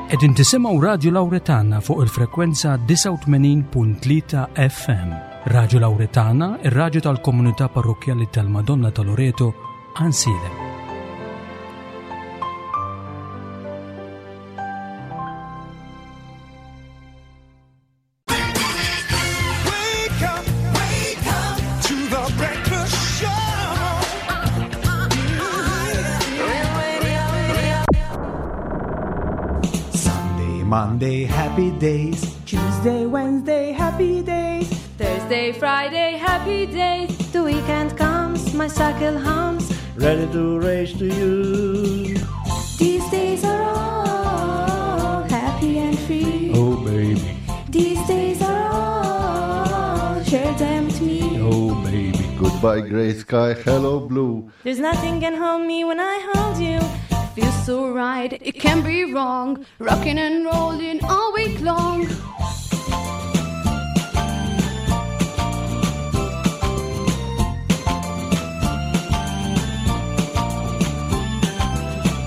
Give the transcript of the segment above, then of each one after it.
Qegħdin tisimgħu Radju Lawretana fuq il-frekwenza 89.3 FM. Radju Lawretana, ir-radju tal-komunità parrokkjali tal-Madonna ta' Loreto, Għansielem. Sunday, Monday, happy days. Tuesday, Wednesday, happy days. Thursday, Friday, happy days. The weekend comes, my cycle hums. Ready to race to you. These days are all happy and free. Oh, baby. These days are all, share them with me. Oh, baby. Goodbye, gray sky. Hello, blue. There's nothing can hold me when I hold you. Feels so right, it can be wrong. Rocking and rolling all week long.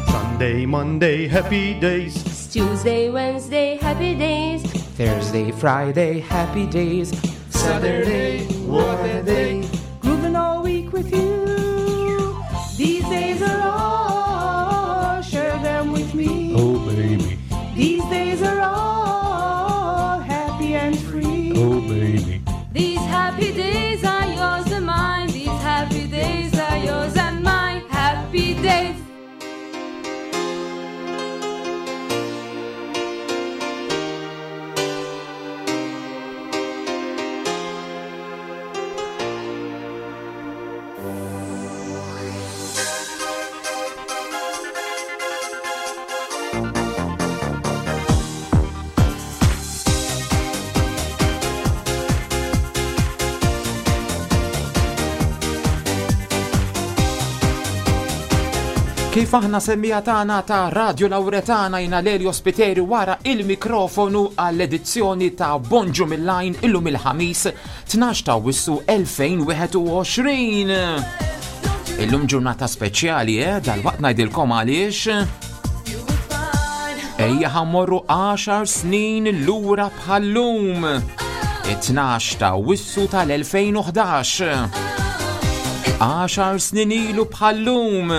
Sunday, Monday, happy days. Tuesday, Wednesday, happy days. Thursday, Friday, happy days. Saturday, what a day. Grooving all week with you. These days are all, share them with me. Oh, baby. These days are all happy and free. Oh, baby. These happy days are yours and mine. These happy days are yours and mine. Happy days. Kif aħna semmija tagħna ta' Radio Lauretana jina Lelio Spiteri wara il-mikrofonu għall-edizzjoni ta' Bonġu mill-Lajn illum il-ħamis 12 ta' Wissu 2021. Illum ġurnata speċjali, eh? Dal-waqt ngħidilkom għaliex. Ejja ħammorru 10 snin lura bħallum. It-12 ta' Wissu tal-2011. 10 snin ilu bħallum.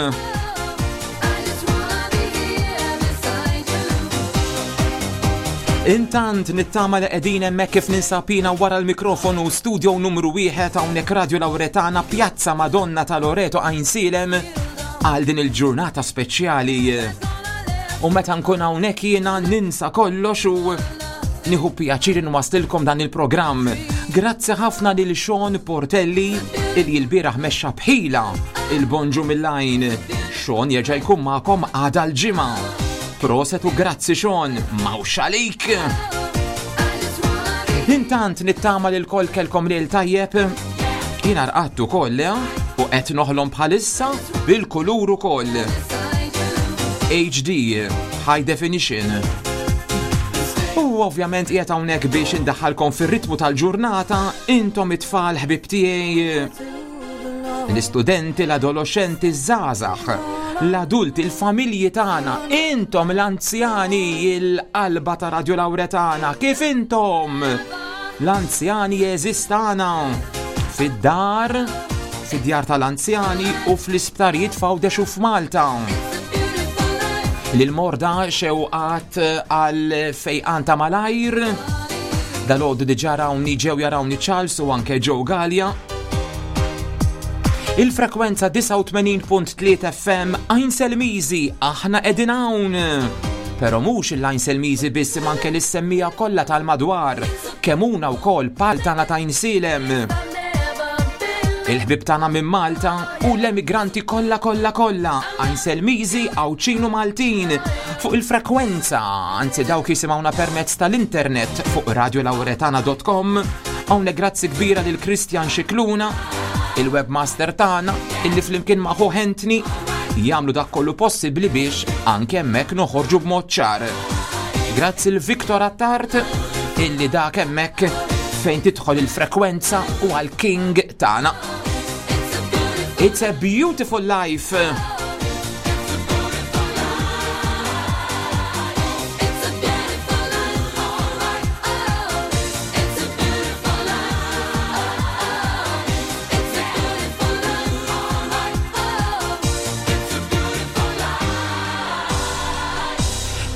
Intant nittama li qegħdin hemmhekk kif ninsabina wara l-mikrofonu studio numru wieħed hawnhekk Radio Lauretana Pjazza Madonna ta' Loreto Għajnsielem għal din il-ġurnata speċjali. U meta nkun hawnhekk jiena ninsa kollox u nieħu pjaċir nwaslilkom dan il-programm. Grazzi ħafna lil Sean Portelli il l-bieraħ mexxa bħila il-bonġu mill-għajn. Sean jerġa' jkun magħkom għada l-ġimgħa. Proset u grazzi Sean, mawx għalik! Intant nittama li l-koll kelkom lejl tajjeb, jiena rqadt ukoll eh? u qed noħlom bħalissa bil-kulur ukoll. HD, High Definition. U ovvjament qiegħed hawnhekk biex indaħħalkom fir-ritmu tal-ġurnata, intom it-tfal ħbib tiegħi L-istudenti, l-adoloxxenti, ż-żgħażagħ, l-adulti, il-familji tagħna, intom l-anzjani, il-qalba ta' Radio Lauretana, kif intom? L-anzjani jeżistana fid-dar, fid-djar tal-anzjani u fl-isptarijiet f'Għawdex u f'Malta. Lil-morda xewqat għal fejqan ta' malajr. Dal-għodu diġa rawni ġew jarawni Charles u anke Joe Gallia. Il-frekwenza 89.3 FM Għajn Selmizi, aħna qegħdin hawn. Però mhux il-Għajn Selmizi biss imma anke l-semmija kollha tal-madwar, kemuna wkoll pal tagħna ta' Insilem. Il-ħbib tagħna minn Malta u l-emigranti kollha kollha kollha, Għajn Selmizi, Għawdxin u Maltin, fuq il-frekwenza, anzi dawk jisimgħuna permezz tal-internet fuq radiolauretana.com. Hawnhekk grazzi kbira lil Christian Xikluna, il-webmaster tagħna, illi flimkien ma' ħuh Anthony jagħmlu dak kollu possibbli biex anke hemmhekk noħorġu b'mod ċar. Grazzi l Victor Attard illi dak hemmhekk fejn tidħol il-frekwenza u għal-king tagħna. It's a beautiful life.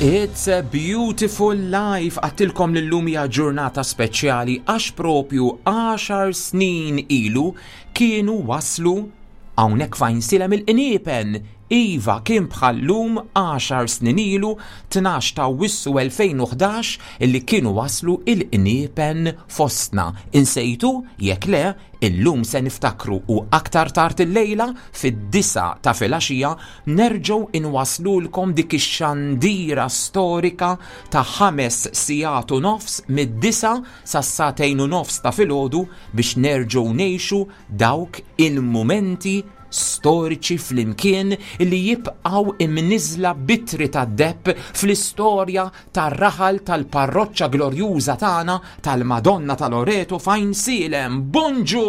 It's a beautiful life għattilkom l-lum hija ġurnata speċjali għax propju 10 snin ilu kienu waslu hawnhekk fajn silem il-qniepen. Iva kien bħal-lum 10 snin ilu 12 ta' Awwissu 2011 illi kienu waslu il-qniepen fostna. Insejtu? Jekk le, Illum se niftakru u aktar tard illejla fid-disgħa ta' filgħaxija nerġgħu inwasslulkom dik ix-xandira storika ta' ħames sigħat u nofs mid-disgħa sas-sagħtejn u nofs ta' filgħodu biex nerġgħu ngħixu dawk il-mumenti storiċi flimkien li jibqgħu imniżżla b'ittri tad-deheb fl-istorja tar-raħal tal-parroċċa glorjuża tagħna tal-Madonna ta' Loreto f'Għajnsielem. Bonġu!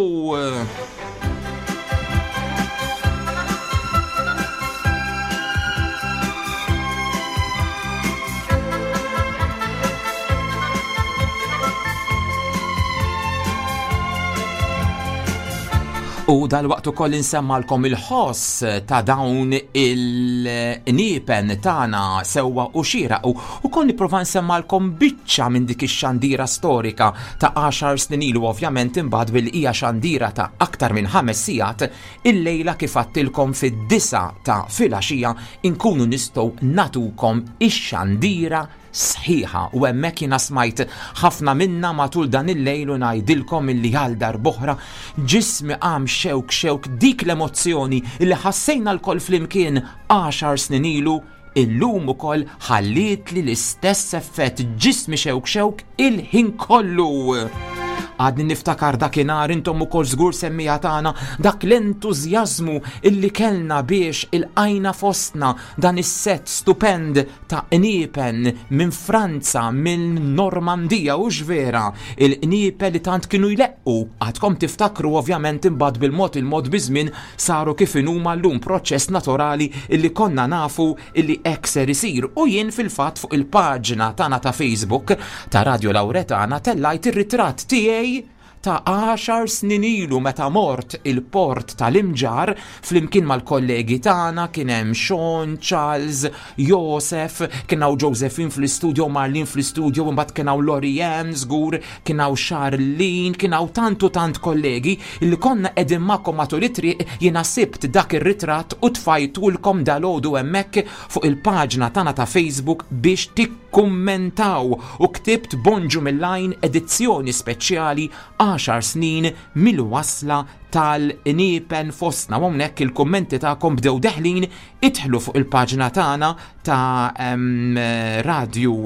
U dal-waqt ukoll insemmalkom il-ħoss ta' dawn il-niepen tagħna sewwa u xieraq u ukoll nipprova nsemmalkom biċċa minn dik ix-xandira storika ta' 10 snin ilu ovvjament imbagħad billi hija xandira ta' aktar minn ħames sigħat illejla kif għadtilkom fid-disgħa ta' filgħaxija inkunu nistgħu nagħtukom ix-xandira sħiħa u hemmhekk jiena smajt ħafna minna matul dan il-lejl u ngħidilkom illi għal darb'oħra ġismi qam xewk xewk dik l-emozzjoni li ħassejna lkoll flimkien għaxar snin ilu illum ukoll ħallietli l-istess effett ġismi xewk xewk il-ħin kollu. Għadni niftakar dakinhar intom ukoll żgur semmija tagħna dak l-entużjażmu illi kellna biex ilqajna fostna dan is-sett stupend ta' qniepen minn Franza, minn Normandija, hux vera? Il-qniepen li tant kienu jleqqu, għadkom tiftakru ovvjament imbagħad bil-mod il-mod biż-żmien saru kif inhuma llum, proċess naturali illi konna nafu illi hekk ser isir. U jien fil-fatt fuq il-paġna tagħna ta' Facebook ta' Radio Lauretana tellajt ir-ritratt tiegħi ta' għaxar snin ilu meta mort il-port tal-Imġarr flimkien mal-kollegi tagħna kien hemm Sean, Charles, Josef, kien hawn Josephine fl-istudio, Marlene fl-istudio, imbagħad kien hawn Lorianne żgur, kien hawn Charlene, kien hawn tant u tant kollegi li konna qegħdin magħkom matul it-triq jiena sibt dak ir-ritratt u tfajtulkom dalgħodu hemmhekk fuq il-paġna tagħna ta' Facebook biex Kummentaw u ktibt Bonġu mill-Għajn edizzjoni speċjali għaxar snin mill-wasla tal-qniepen fostna. U hawnhekk il-kummenti tagħkom bdew deħlin, idħlu fuq il-paġna tagħna ta' Radju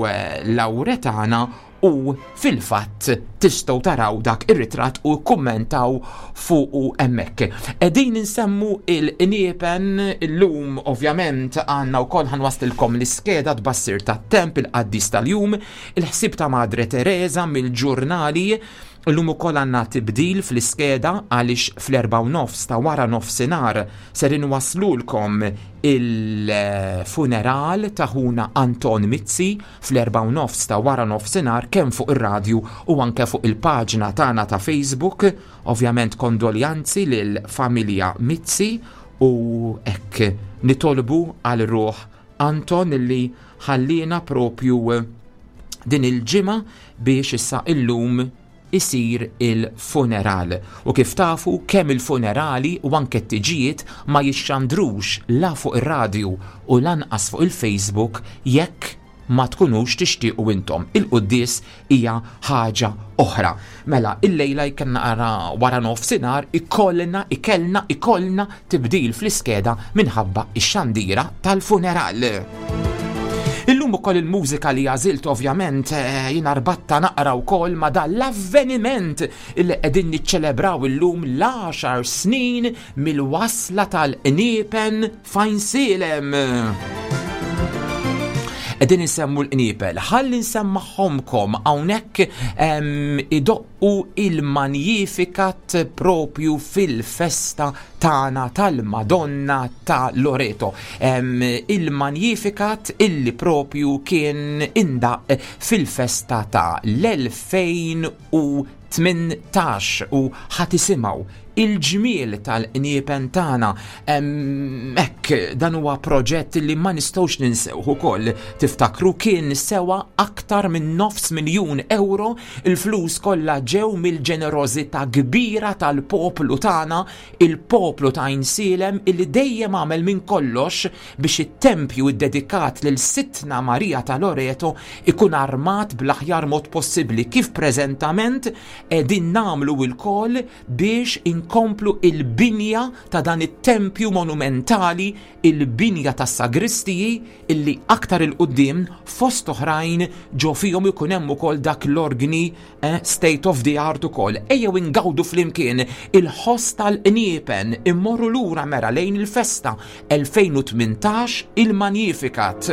Lawretana u fil-fatt tistgħu taraw dak ir-ritratt u kkummentaw fuqu hemmhekk. Qegħdin insemmu il-qniepen illum ovvjament għandna wkoll ħanwaslilkom l-iskeda tbassir tat-temp il-qaddis tal-jum, il-ħsieb ta' Madre Teresa mill-ġurnali. Illum ukoll għandna tibdil fl-iskeda għaliex fl-4:30 ta' wara nofsinhar ser inwasslulkom il-funeral ta' ħuna Anton Mizzi fl-4:30 ta' wara nofsinhar kemm fuq ir-radju u anke fuq il-paġna tagħna ta' Facebook. Ovvjament kondoljanzi lil familja Mizzi u hekk nitolbu għal ruħ Anton li ħalliena propju din il-ġimgħa biex issa illum isir il-funeral. U kif tafu kemm il-funerali u anke t-tiġijiet ma jixxandrux la fuq ir-radju u lanqas fuq il-Facebook jekk ma tkunux tixtiequ intom. Il-quddies hija ħaġa oħra. Mela, illejla jekk naqra wara nofsinhar ikollna, ikellna, ikollna tibdil fl-iskeda minħabba x-xandira tal-funeral. Illum ukoll il-mużika li għażilt ovvjament eh, jiena rbatta naqra wkoll ma dan l-avveniment li qegħdin niċċelebraw illum l-għaxar snin mill-wasla tal-qniepen f'Għajnsielem. Qegħdin insemmu l-qniepel, ħalli nsemmaħħomkom hawnhekk idoq u il-Magnificat propju fil-festa tagħna tal-Madonna ta' Loreto. Il-Magnificat illi propju kien indaqq fil-festa ta' l-2019. 2018 u ħa tisimgħu il-ġmiel tal-qniepen tagħna. Hekk dan huwa proġett li ma nistgħux ninsewh ukoll. Tiftakru kien sewa aktar minn nofs miljun euro, il-flus kollha ġew mill-ġenerożità kbira tal-poplu tagħna, il-poplu ta' Għajnsielem illi dejjem għamel minn kollox biex it-tempju ddedikat lil Sidtna Marija ta' Loreto ikun armat bl-aħjar mod possibbli kif preżentament qegħdin nagħmlu lkoll biex inkomplu il-binja ta' dan it-tempju monumentali, il-binja tas-sagristiji illi aktar 'il quddiem fost oħrajn ġo fihom ikun hemm ukoll dak l-orgni eh, state of the art ukoll. Ejjew ingawdu flimkien il-ħoss tal-qniepen immorru lura mera lejn il-festa 2018 il-Magnificat.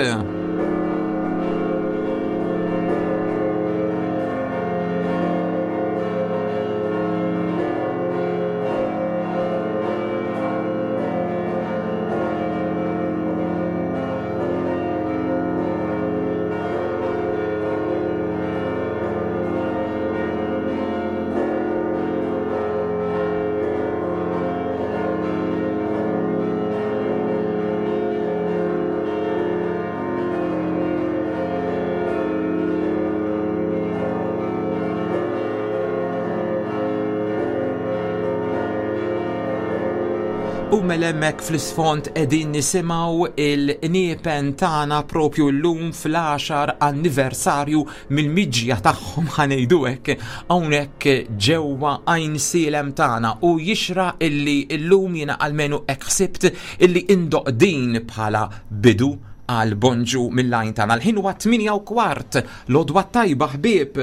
U mela hemmhekk fl-isfond qegħdin nisimgħu il-qniepen tagħna propju llum fl-10 anniversarju mill-miġja tagħhom ħa ngħidu hekk hawnhekk ġewwa Għajnsielem tagħna u jixraq illi llum jiena almenu hekk ħsibt illi indoqq din bħala bidu għal bonġu mill-għajn tagħna. L-ħin huwa 8 u kwart, l-għodwa tajba ħbieb,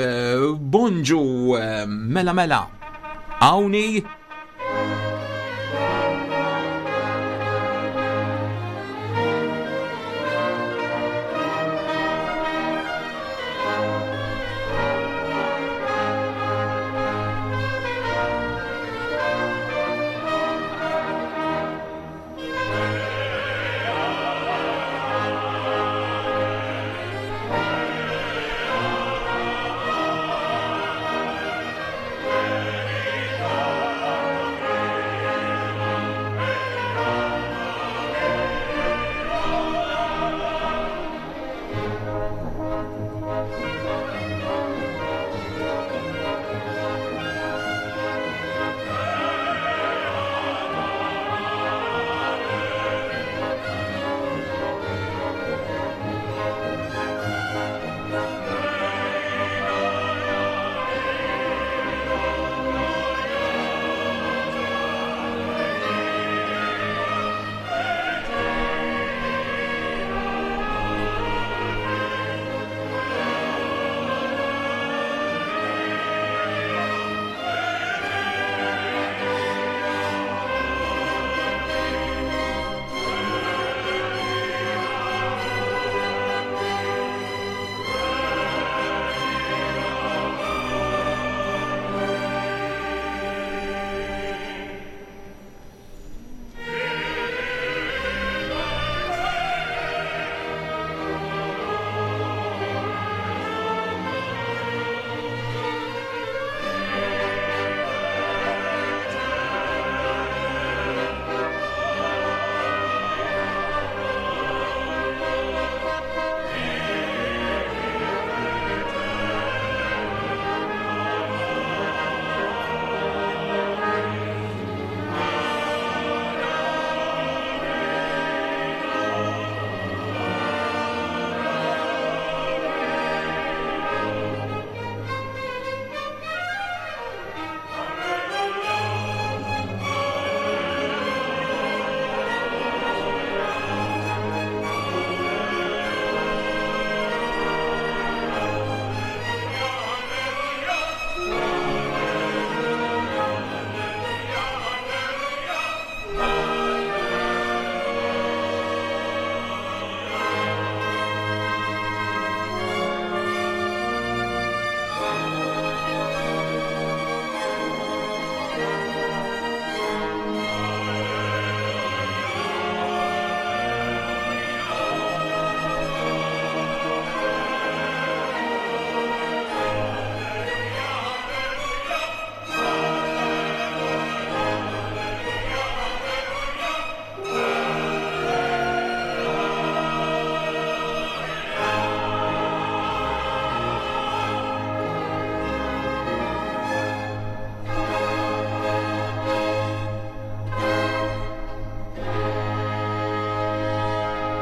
bonġu mela mela. Hawnhi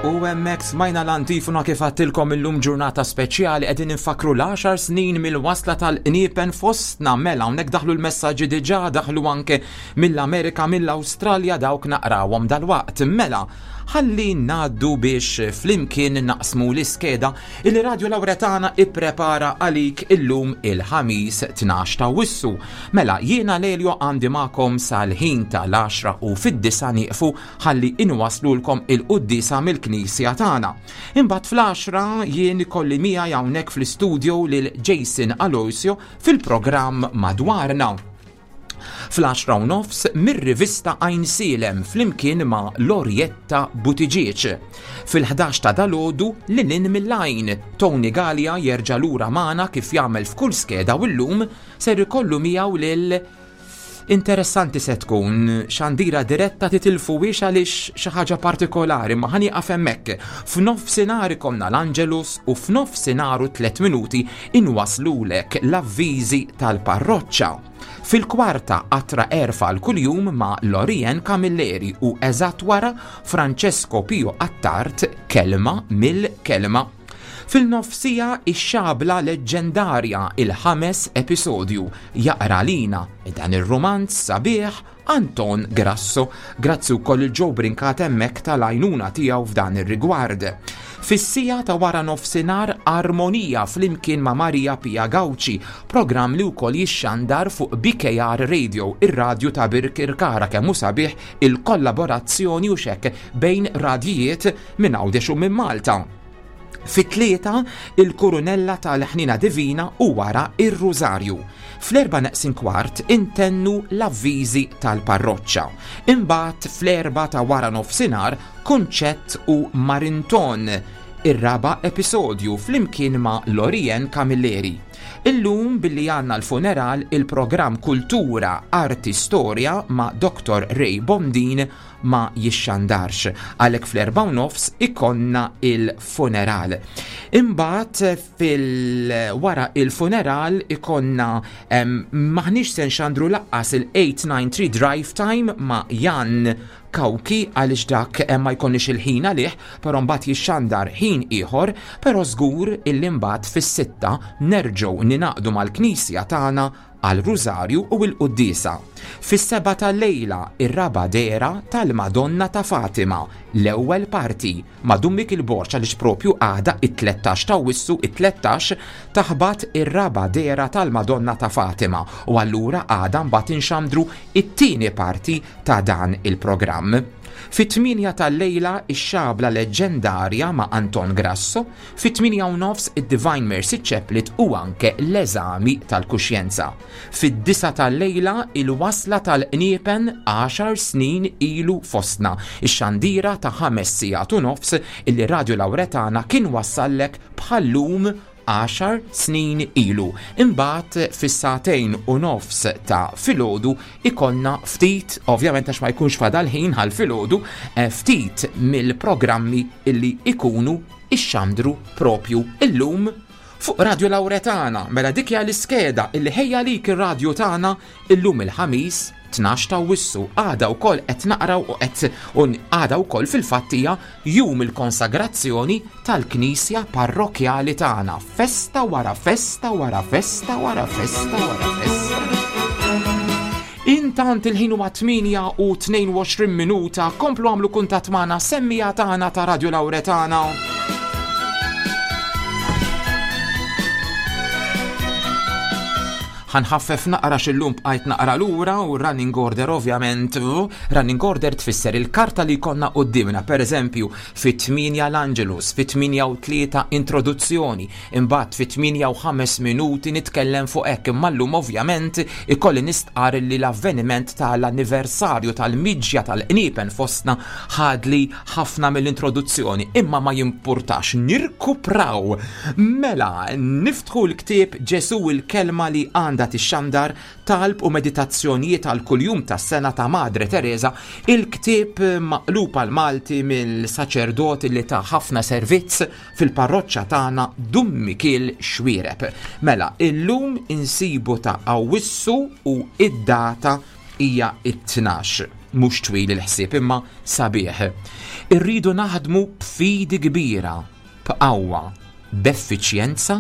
U hemmhekk smajna l-antifona kif għattilkom illum ġurnata speċjali qegħdin infakru l-10 snin mill-wasla tal-qniepen fostna mela hawnhekk daħlu l-messaġġi diġà daħlu anke mill-Amerika mill-Awstralja dawk naqrawhom dalwaqt. Mela, ħalli ngħaddu biex flimkien naqsmu l-iskeda il Radio Lauretana ipprepara għalik illum il-ħamis 12 ta' Wissu. Mela, jiena Lelio għandi magħkom sal-ħin tal-10 u fid-disa nieqfu ħalli inwaslulkom il-quddiesa mill-knisja tagħna. Imbagħad fl-10 jien ikolli miegħi hawnhekk fl-istudio lil Jason Aloisio fil-programm Madwarna. Fl-10 u nofs mir-rivista Għajnsielem flimkien ma' Lorietta Buttigieg. Fil-11 ta' dalodu lil hinn mill-għajn, Tony Galea jerġa' lura magħna kif jagħmel f'kull skeda u llum ser ikollu miegħu lil Interessanti se tkun xandira diretta titilfuhiex għaliex xi ħaġa partikolari ma ħa nieqaf hemmhekk. F'nofsinhar ikollna l-Angelus u f'nofsinhar u tliet minuti inwaslulek l-avviżi tal-parroċċa. Fil-kwarta qatra għerf għal kuljum ma' Lorien Camilleri u eżatt wara Francesco Pio Attard Kelma mill-Kelma. Fil-nofsija ix-xabla leġġendarja il-ħames episodju jaqra lina dan ir-rumanz sabiħ Anton Grasso. Grazzi wkoll il Joe Brincat hemmhekk tal-għajnuna tiegħu f'dan ir-rigward. Fis-siegħa ta' wara nofsinhar Armonija flimkien ma' Maria Pia Gauci, programm li wkoll jixxandar fuq BKR Radio, ir-radju ta' Birkirkara kemm hu sabiħ il-kollaborazzjoni u xekk bejn radjijiet minn Għawdex u minn Malta. Fit-tlieta, il-Kurunella tal-Ħniena Divina u wara ir-Rużarju. Fl-erba' neqsin kwart intennu l-avviżi tal-parroċċa. Imbagħad fl-erba' ta' wara nofsinhar Kunċett u Marinton, ir-raba' episodju flimkien ma' Lorien Camilleri. Illum billi għandna l-funeral il-programm Kultura, Arti, Storja ma' Dottor Ray Bondin ma jixxandarx, għalhekk fl-erbgħa u nofs ikollna il-funeral. Imbagħad fil wara il-funeral ikollna maħniex se nxandru laqqas il-893 Drive Time ma' Jan Kawki għaliex dak ma jkollniex il-ħin għalih, però mbagħad jixxandar ħin ieħor, però żgur illi mbagħad fis-sitta nerġgħu ningħaqdu mal-Knisja tagħna għal Rużarju u l-Quddiesa. Fis-sebgħa tal-lejla, ir-raba' dehra tal-Madonna ta' Fatima, l-ewwel parti, ma' Dun Mikiel Borg għaliex propju għada it-tlettax t'Awwissu, it-tlettax, taħbat ir-raba' dehra tal-Madonna ta' Fatima u allura għada mbagħad inxandru it-tieni parti ta' dan il-programm. Fit-tmienja tal-lejla ix-xabla leġġendarja ma' Anton Grasso, Fit-tmienja u nofs id-Divine Mercy Chaplet u anke l-eżami tal-kuxjenza. Fid-disgħa tal-lejla il-wasla tal-qniepen għaxar snin ilu fostna, ix-xandira ta' ħames sigħat u nofs illi Radio Lauretana kien wassallek bħal-lum għaxar snin ilu. Imbagħad fis-sagħtejn u nofs ta' filgħodu ikollna ftit, ovvjament għax ma jkunx fadal ħin għal filgħodu, eh, ftit mill-programmi illi ikunu ixxandru propju illum fuq Radio Lauretana. Mela dik hija l-iskeda illi ħejja lik ir-radju tagħna illum il-ħamis 12 ta' Wissu. Għada wkoll qed naqraw u qed għada wkoll fil-fatt hija jum il-konsagrazzjoni tal-Knisja Parrokkjali tagħna. Festa wara festa wara festa wara festa wara festa. Intant il-ħin huwa 8 u 22 minuta, komplu għamlu kuntatt magħna semmija tagħna ta' Radio Lauretana. Ħanħaffef naqra xillum bqajt naqra lura u running order ovvjament. Running order tfisser il-karta li jkollna qudiemna, per eżempju, fit-8 l-Angelus, fit-8 u 3 introduzzjoni, Imbagħad fit-tmienja u ħames minuti nitkellem fuq hekk imma llum ovvjament ikolli nistqarr li l-avveniment tal-anniversarju tal-miġja tal-qniepen fostna ħadli ħafna mill-introduzzjoni imma ma jimpurtax nirkupraw. Mela, niftħu l-ktieb Ġesù il-Kelma li għandha tixxandar Talb u Meditazzjonijiet għal kuljum tas-sena ta' Madre Teresa, il-ktieb maqlub għall-Malti mill-saċerdot li ta ħafna servizz fil-parroċċa tagħna Dun Mikiel Xuereb. Mela, illum insibu ta' Awwissu u id-data hija it-tnax. Mhux twil il-ħsieb imma sabiħ. Irridu naħdmu b'fidi kbira, b'qawwa, b'effiċjenza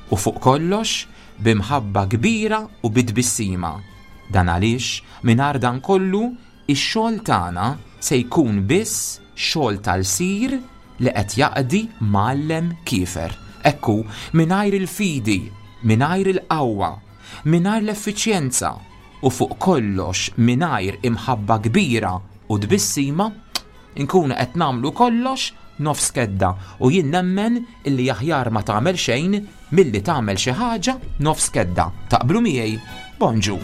u fuq kollox b'imħabba kbira u bi tbissima. Dan għaliex mingħajr dan kollu ix-xogħol tagħna se jkun biss xogħol tal-sir li qed jaqdi mgħallem kiefer. Hekk hu, mingħajr il-fidi, mingħajr il-qawwa, mingħajr l-effiċjenza u fuq kollox mingħajr imħabba kbira u tbissima, inkunu qed nagħmlu kollox nofs kedda u jien nemmen illi aħjar ma tagħmel xejn milli tagħmel xi ħaġa nofs kedda. Taqblu miegħi? Bonġu!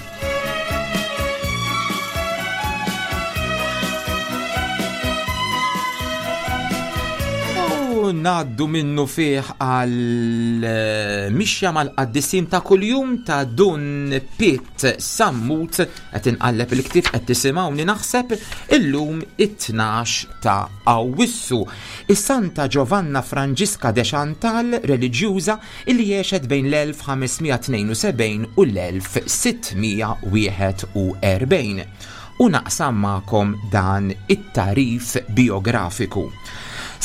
U ngħaddu minnu fih għal eh, mixja mal-qaddisin ta' kuljum ta' Dun Pitt Sammut qed inqalleb il-ktieb qed tisimgħuni naħseb illum it-12 ta' Awwissu. Is-Santa Giovanna Franġiska de Chantal, reliġjuża illi għexet bejn l-1572 u l-1641. U naqsam magħkom dan it-tagħrif bijografiku.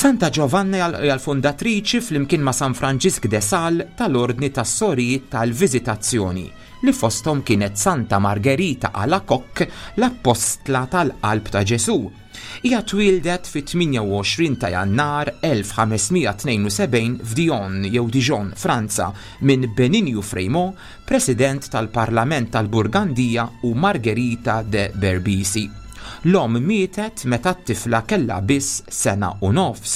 Santa Giovanna hija l-fundatriċi flimkien ma' San Franġisk de Sales tal-Ordni tas-Sorijiet tal-Viżitazzjoni, li fosthom kienet Santa Margherita Alacoque, l-Appostla tal-Qalb ta' Ġesù. Hija twieldet fit-28 ta' Jannar 1572 f'Dion jew Dijon, Franza, minn Beninju Frémaux, President tal-Parlament tal-Burgandija u Margherita de Berbisi. L-omm mietet meta t-tifla kellha biss sena u nofs.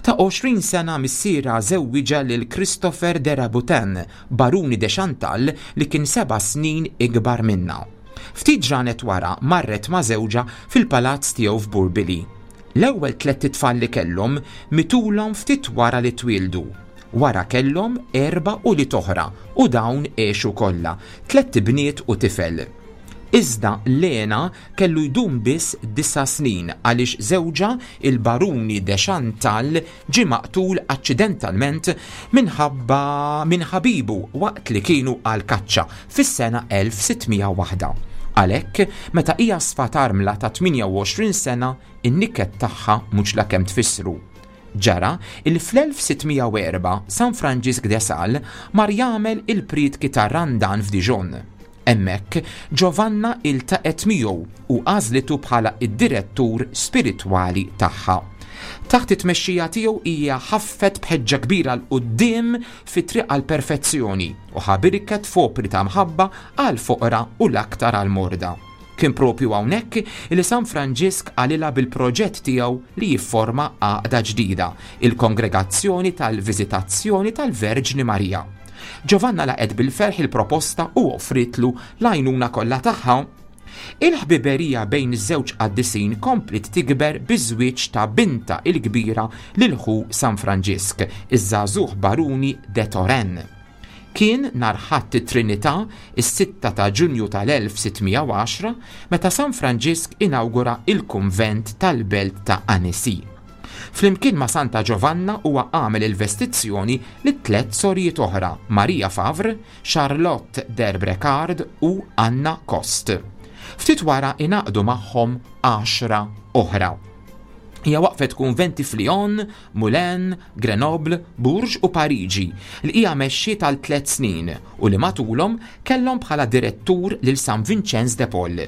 Ta' 20 sena missierha żewwiġha lil Christopher de Rabutin, Baruni de Chantal li kien seba' snin ikbar minnha. Ftit ġranet wara marret ma' żewġha fil-palazz tiegħu f'Burbili. L-ewwel tlett itfal li kellhom mitulhom ftit wara li twieldu. Wara kellhom erba' ulied oħra u dawn għexu kollha, tlett ibniet u tifel. Iżda Lena kellu jdum biss disa' snin għaliex żewġha, il-Baruni de Chantal, ġie maqtul aċċidentalment minħabba minn ħabibu waqt li kienu għall-kaċċa fis-sena 1601. Għalhekk, meta hija sfat armla ta' 28 sena, in-niket tagħha mhux la kemm tfissru. Ġara il fl-1604 San Franġisk de Sales mar jagħmel il-prietki tar-Randan f'Dijon. Hemmhekk, Giovanna iltaqgħet miegħu u għażlitu bħala d-direttur spiritwali tagħha. Taħt it-tmexxija tiegħu hija ħaffet b'ħeġġa kbira 'l quddiem fit-triq għall-perfezzjoni u ħabirket f'opri ta' mħabba għall-foqra u l-aktar għall-morda. Kien proprju hawnhekk li San Franġisk qalilha bil-proġett tiegħu li jifforma għaqda ġdida, il-Kongregazzjoni tal-Viżitazzjoni tal-Verġni Marija. Giovanna laqgħet bil-ferħ il-proposta u offrietlu l-għajnuna kollha tagħha. Il-ħbiberija bejn iż-żewġ qaddisin kompliet tikber biż-żwieġ ta' bintha l-kbira lil ħu San Franġisk, iż-żagħżugħ Baruni de Turenne. Kien nhar Ħadd it-Trinità, is-sitta ta' Ġunju tal-1610, meta San Franġisk inawgura l-kunvent tal-belt ta' Annecy. Flimkien ma' Santa Giovanna huwa għamel il-vestizzjoni lit-tlett sorijiet oħra, Maria Favre, Charlotte d'Herbrecard u Anna Coste. Ftit wara ingħaqdu magħhom għaxra oħra. Hija waqfet kunventi f'Lyon, Moulins, Grenoble, Bourges u Pariġi li hija mexxiet għal tlett snin u li matulhom kellhom bħala direttur lil San Vinċenz de Paul.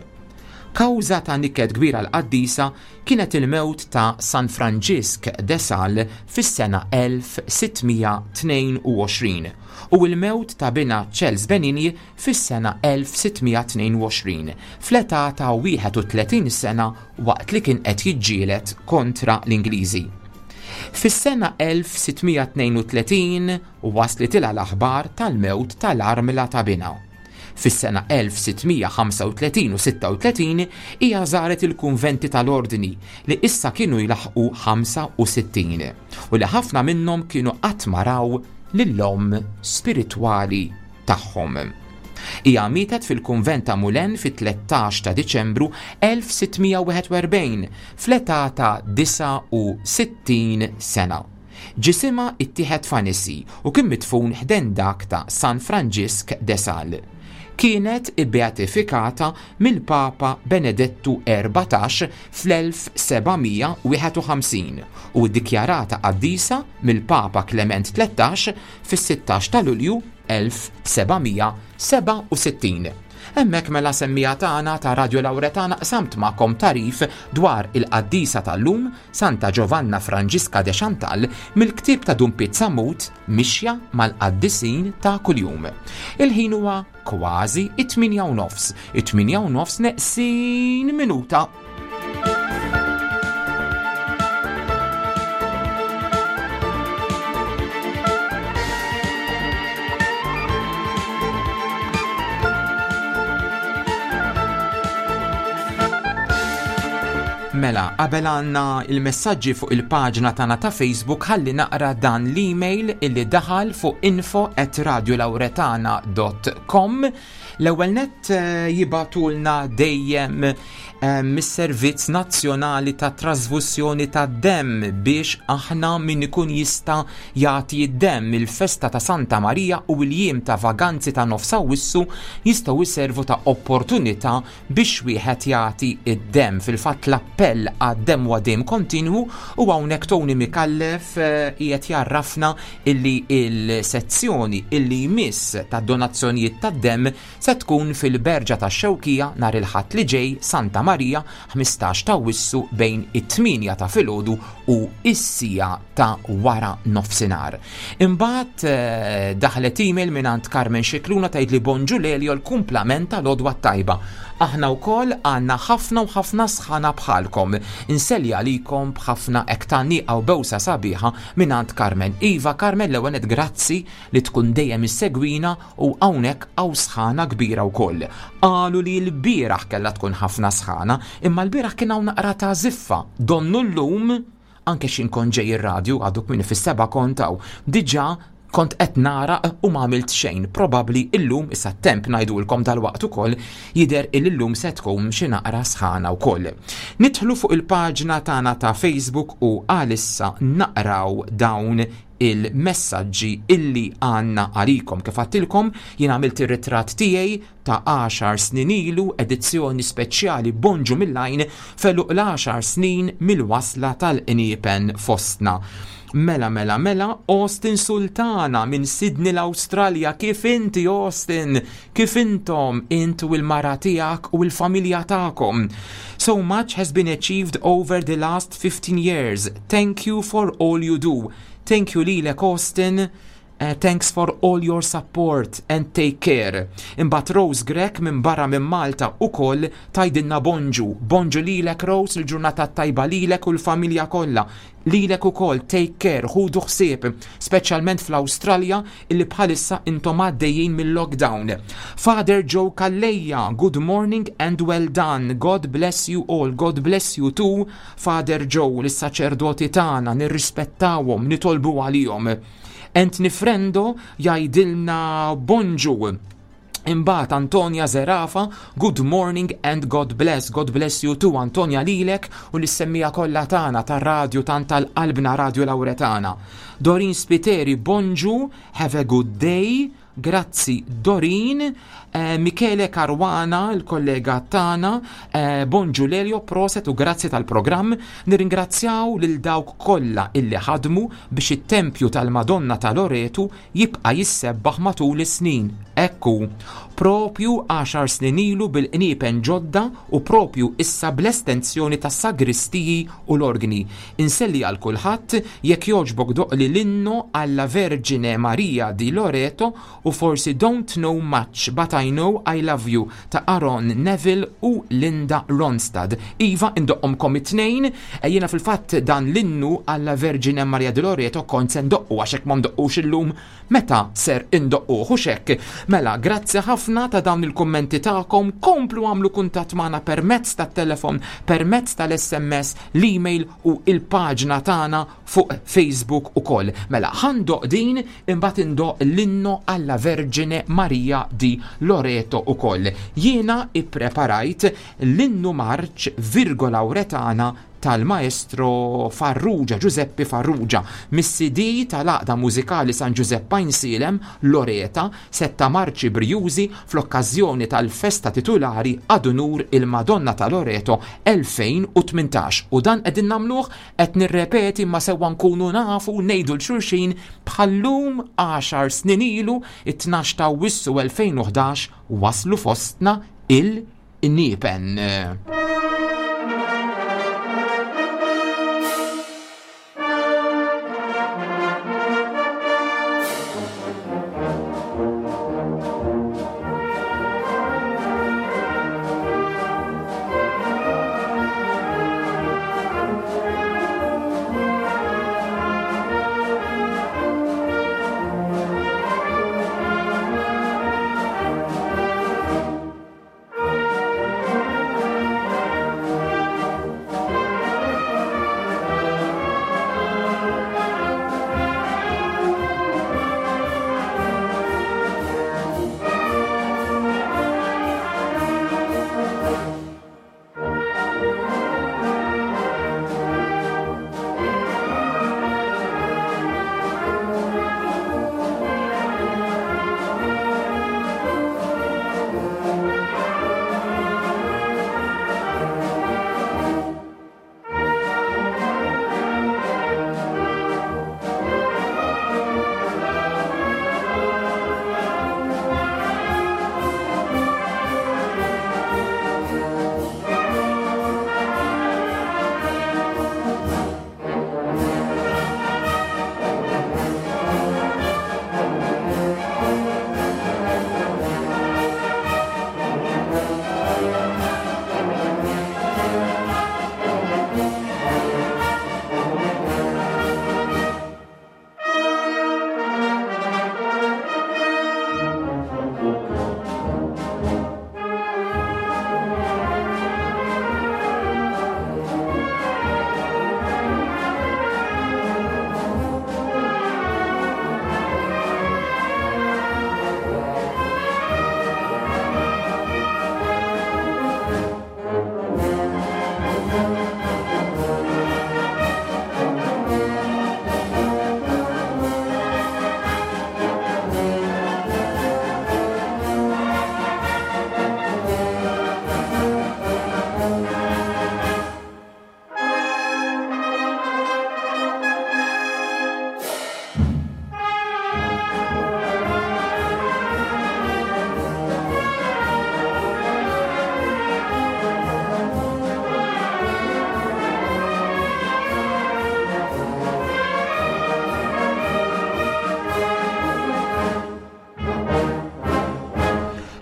Kawża ta' niket kbir għall-qaddisa kienet il-mewt ta' San Franġisk de Sales fis-sena 1622 u l-mewt ta' binha Charles Benigne fis-sena 1622 fl-età ta' 31 sena waqt li kien qed jiġġieled kontra l-Ingliżi. Fis-sena 1632 waslitilha l-aħbar tal-mewt tal-armla ta' binha. Fis-sena 1635 u 36 hija żaret il-kunventi tal-Ordni li issa kienu jlaħħqu 65 u li ħafna minnhom kienu qatt ma raw lill-omm spiritwali tagħhom. Hija mietet fil-kunvent ta' Moulins fit-13 ta' Diċembru 1641 fl-età ta' 69 sena. Ġisimha ittieħed f'Annecy u kien midfun ħdejn dak ta' San Franġisk de Sales. Kienet ibbeatifikata mill-Papa Benedettu 14 fl-1751 u ddikjarata qaddisa mill-Papa Klement 13 fis-16 ta' Lulju 1767. Hemmhekk mela semmiegħa tagħna ta' Radio Lauretana qsamt magħkom tagħrif dwar il-qaddisa tal-lum, Santa Giovanna Franġiska de Chantal, mill-ktieb ta' Dun Piet Sammut, Mixja mal-Qaddisin ta' Kuljum. Il-ħin huwa kważi it-tmienja u nofs, it-tmienja u nofs neqsin minuta. Mela, qabel għandna il-messaġġi fuq il-paġna tagħna ta' Facebook ħalli naqra dan l-email illi daħal fuq info at radiolauretana.com L-ewwel nett eh, jibatulna dejjem eh, mis-Servizz Nazzjonali ta' Trasfussjoni ta' Demm biex aħna min ikun jista' jagħti d-demm il-festa ta' Santa Marija u l-jiem ta' vaganzi ta' nofs Awwissu jistgħu jservu ta' opportunità biex wieħed jagħti d-demm. Fil-fatt l-appell għad-demm huwa dejjem kontinwu u hawnhekk Tony Micallef eh, qiegħed jarrafna illi il-sezzjoni illi jmiss tad-donazzjonijiet tad-demm se tkun fil-Berġa tax-Xewkija nhar il-Ħadd li ġej Santa Marija 15 ta' Awwissu bejn it-8 ta' filgħodu u s-siegħa ta' wara nofsinhar. Imbagħad eh, daħlet email mingħand Carmen Scicluna tgħidli bonġu Lelio l-kumplament tal-għodwa t-tajba. Aħna wkoll għandna ħafna u ħafna sħana bħalkom. Inselli għalikom b'ħafna hekk tgħanniqa u bewsa sabiħa mingħand Carmen. Iva Carmen l-ewwel nett grazzi li tkun dejjem issegwina u hawnhekk hawn sħana kbira wkoll. Qalu li l-bieraħ kellha tkun ħafna sħana, imma l-bieraħ kien hawn naqra ta' żiffa. Donnu llum, anke x'in kont ġej ir-radju għadu kmieni fis-sebgħa kont hawn, diġà kont qed nagħraq u ma għamilt xejn. Probabbli illum, issa t-temp ngħidulkom dalwaqt ukoll, jidher illi llum se tkun xi naqra sħana wkoll. Nidħlu fuq il-paġna tagħna ta' Facebook u għalissa naqraw dawn il-messaġġi illi għandna għalikom. Kif għadtilkom, jien għamilt ir-ritratt tiegħi ta' għaxar snin ilu, edizzjoni speċjali Bonġu mill-Għajn f'għeluq l-għaxar snin mill-wasla tal-qniepen fostna. Mela mela mela Austin Sultana minn Sydney l-Awstralja kif inti Austin? Kif intom int u l-mara tiegħek u l-familja tagħkom? So much has been achieved over the last 15 years. Thank you for all you do. Thank you lilek Austin. Eh, thanks for all your support and take care. Imbagħad Rose Grech minn barra minn Malta ukoll tgħidilna bonġu. Bonġu lilek Rose, il-ġurnata tajba lilek u l-familja kollha. Lilek ukoll take care, ħudu ħsieb, speċjalment fl-Awstralja illi bħalissa intom għaddejjin mill-lockdown. Father Joe Calleja, good morning and well done. God bless you all, God bless you too. Father Joe, lis-saċerdoti tagħna nirrispettawhom, nitolbu għalihom. Anthony Frendo jgħidilna bonġu. Imbagħad Antonia Zerafa, good morning and God bless. God bless you too Antonia lilek u lis-semmiegħa kollha tagħna tar-radju tant tal-qalbna Radio Lauretana. Dorin Spiteri, bonġu, have a good day. Grazzi Dorin, eh, Michele Caruana, il-kollega tagħna, eh, bonġu Lelio, proset u grazzi tal-programm. Nirringrazzjaw lil dawk kollha illi ħadmu biex it-tempju tal-Madonna ta' Loretu jibqa' jissebbaħ matul is-snin. Ekku, propju għaxar snin ilu bil-qniepen ġodda u propju issa bl-estensjoni tas-sagristiji u l-orgni. Inselli għal kulħadd, jekk jogħġbok doqqli l-inno alla Vergine Maria di Loreto u forsi Don't Know Much But I Know I Love You ta' Aaron Neville u Linda Ronstadt. Iva, indoqqhomkom it-tnejn, jiena fil-fatt dan l-innu alla Vergine Maria di Loreto kont se ndoqqu għax hekk ma ndoqqux illum Meta ser indoqquh, hux hekk? Mela, grazzi ħafna ta' dawn il-kummenti tagħkom, komplu agħmlu kuntatt magħna permezz tat-telefon, permezz tal-SMS, l-email u l-paġna tagħna fuq Facebook ukoll. Mela, ħa ndoqq din, imbagħad indoqq l-inno alla Vergine Maria di Loreto ukoll. Jiena ippreparajt l-innu marċ Virgo Lauretana. tal-Maestro Farrugia, Giuseppe Farrugia, mis-CD tal-Għaqda Mużikali San Ġużepp Għajnsielem, Loreta, setta marċi brijużi fl-okkażjoni tal-festa titulari ad unur il-Madonna ta' Loreto 2018. U dan qegħdin nagħmluh, qed nirrepeti imma sewwa nkunu nafu ngħidu 'l xulxin bħal-lum għaxar snin ilu, it-tnax ta' Awwissu 2011 waslu fostna il-Niepen.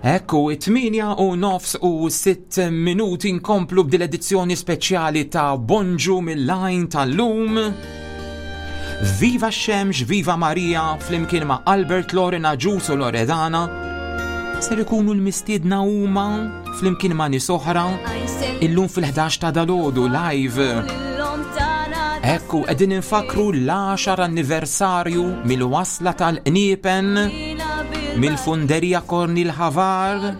Ekku, it-tmienja u nofs u sitt minuti nkomplu b'dil edizzjoni speċjali ta' Bonġu mill-Għajn tal-lum. Viva x-xemx, viva Marija, flimkien ma' Albert Lorena Ġus u Loredana. Ser ikunu l-mistiedna huma flimkien ma' nies oħra illum fil-11 ta' dalodu live. Ekku, qegħdin infakru l-10 anniversarju mill-wasla tal-qniepen mill-funderija Kornil Havar.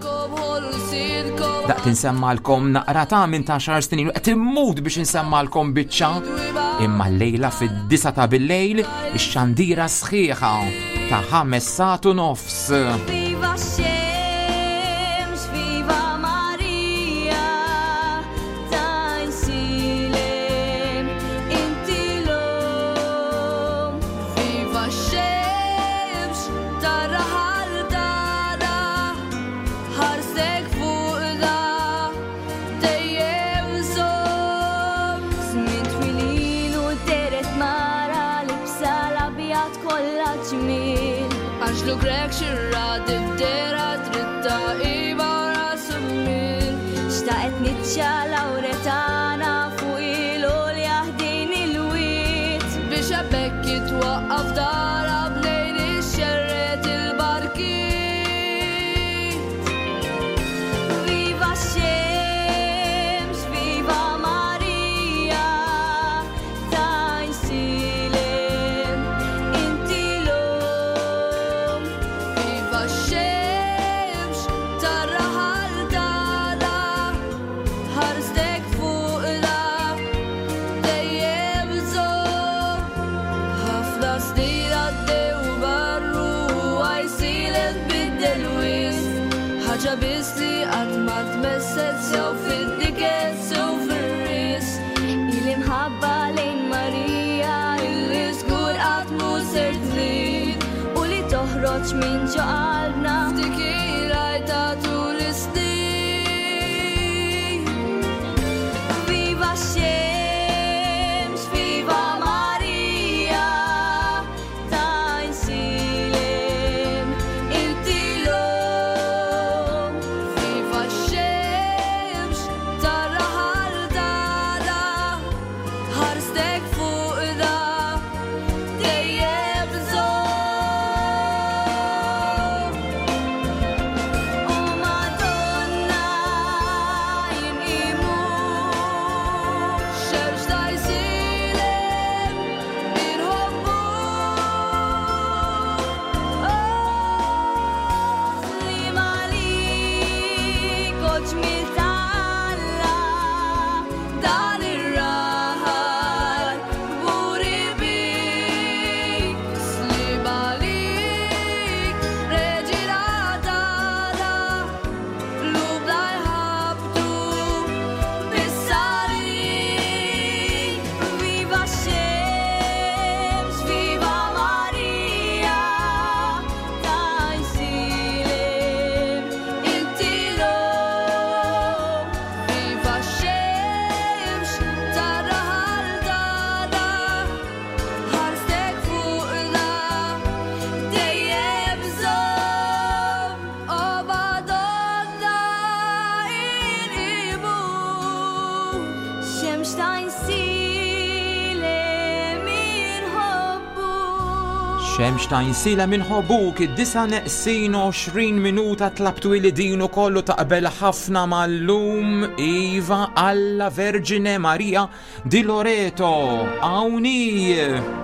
Daqt insemmalkom naqra ta' minn ta' xar snin qed immut biex insemmalkom biċċa. Imma l-lejla fid-disa ta' bil-lejl ix-xandira sħiħa ta' ħames satu nofs. Viva x-xemx, viva Marija, tajsilem, inti l-om. Viva x-xemx, tar-raħal tagħna, ħarsek fuqna, dejjem żomm. Żmien twil ilu dehret mara libsa l-abjad kollha ġmiel. Anġlu Grek xirra dibdera dritta iva rasu min. Xtaqet niċċa Lauretana fuq il-għolja ħdejn il-wied. Biex hemmhekk jitwaqqaf dara bnejn ix-xerret il-barkiet. Viva x-xemx, viva Marija, tajsilem, inti l-om. Viva x-xemx, tar-raħal tagħna, ħarstek fuqna, Ta' snin għaddew barru għajsilet biddel wisq. Ħaġa biss li qatt ma tmesset sew fid-diket sew fir-risq. Il-imħabba lejn Marija Illi żgur qatt mhu ser trid. u li toħroġ minn ġo qalbna. F'dik ta' tul is-snin. Viva x-xemx, viva Marija, ta' insilem inti l-om. Viva x-xemx tar-raħal tagħna, ħarstek fuq da dejjem żomm. O Madonna, jinqimu. Xemx ta' jsilem inħobbuk. Li malik oġmil tal-Alla, Dan ir-raħal buri bik, slib għalik, reġina tagħna, qlubna jħabbtu bis-salib. Viva x-xemx, viva Marija, ta' jsilem inti l-om. Viva x-xemx tar-raħal tagħna, ħarstek fuqna dejjem żomm. O Madonna inqimu. Xemx ta' jsilem inħobbu. Xemx ta' insila minħobuk id-disa neqsin 20 minuta tlabtu li din ukoll u taqbel ħafna mal-lum Iva alla Verġine Maria di Loreto. Awni! Viva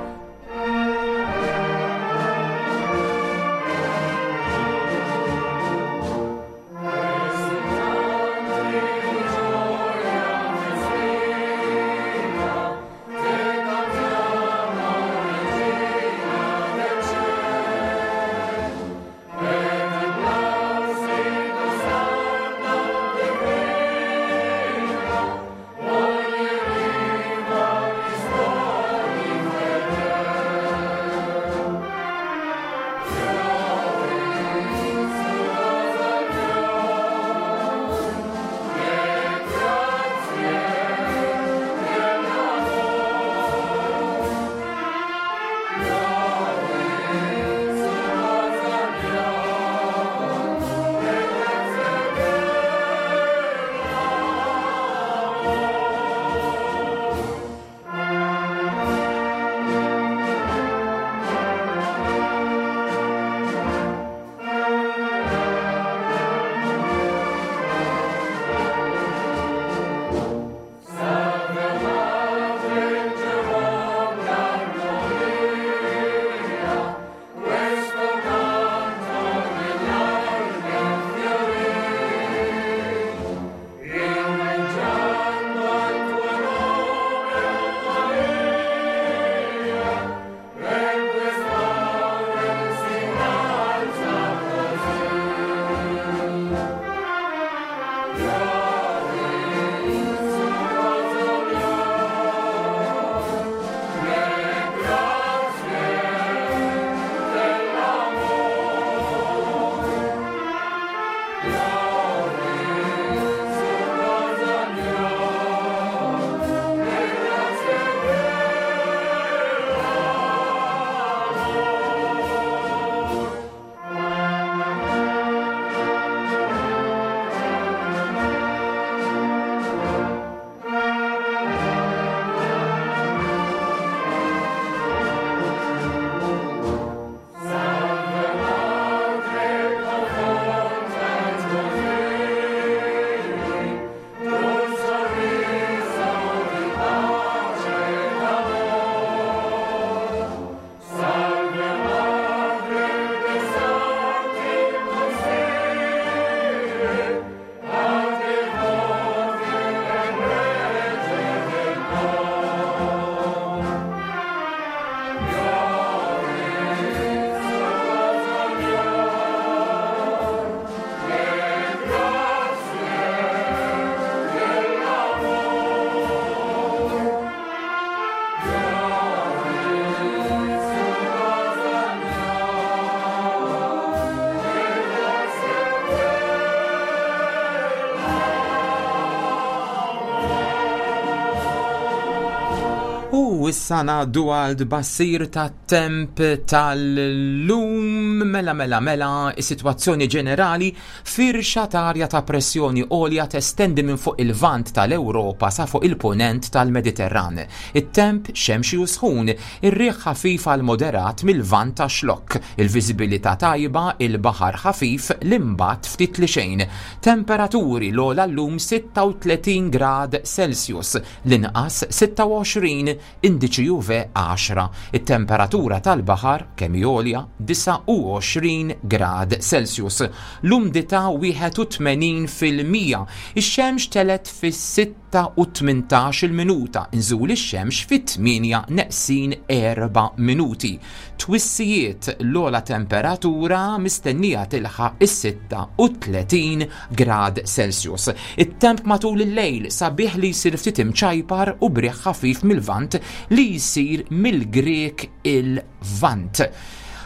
issa ngħaddu għal tbassir tat-temp tal-lum. Mela mela mela, is-sitwazzjoni ġenerali firxa ta' arja ta' pressjoni għolja testendi minn fuq il-Lvant tal-Ewropa sa fuq il-Punent tal-Mediterran. It-temp xemxi u sħun, ir-riħ ħafif għal moderat mil-Lvant għax-Xlokk, il-viżibilità tajba, il-baħar ħafif, l-imbatt ftit li xejn. Temperaturi l-ogħla llum 36 grad Celsius, l-inqas 26, indiċi UV 10. It-temperatura tal-baħar, kemm hi għolja, 29 grad Celsius. L-umdità 81%. Ix-xemx telgħet fis-6 u 18-il minuta, inżul ix-xemx fit-8 neqsin 4 minuti. Twissijiet, l-ogħla temperatura mistennija tilħaq is-36 grad Celsius. It-temp matul il-lejl sabiħ li jsir ftit imċajpar u b'riħ ħafif mil-Lvant li jsir mill-Grieg il-Lvant.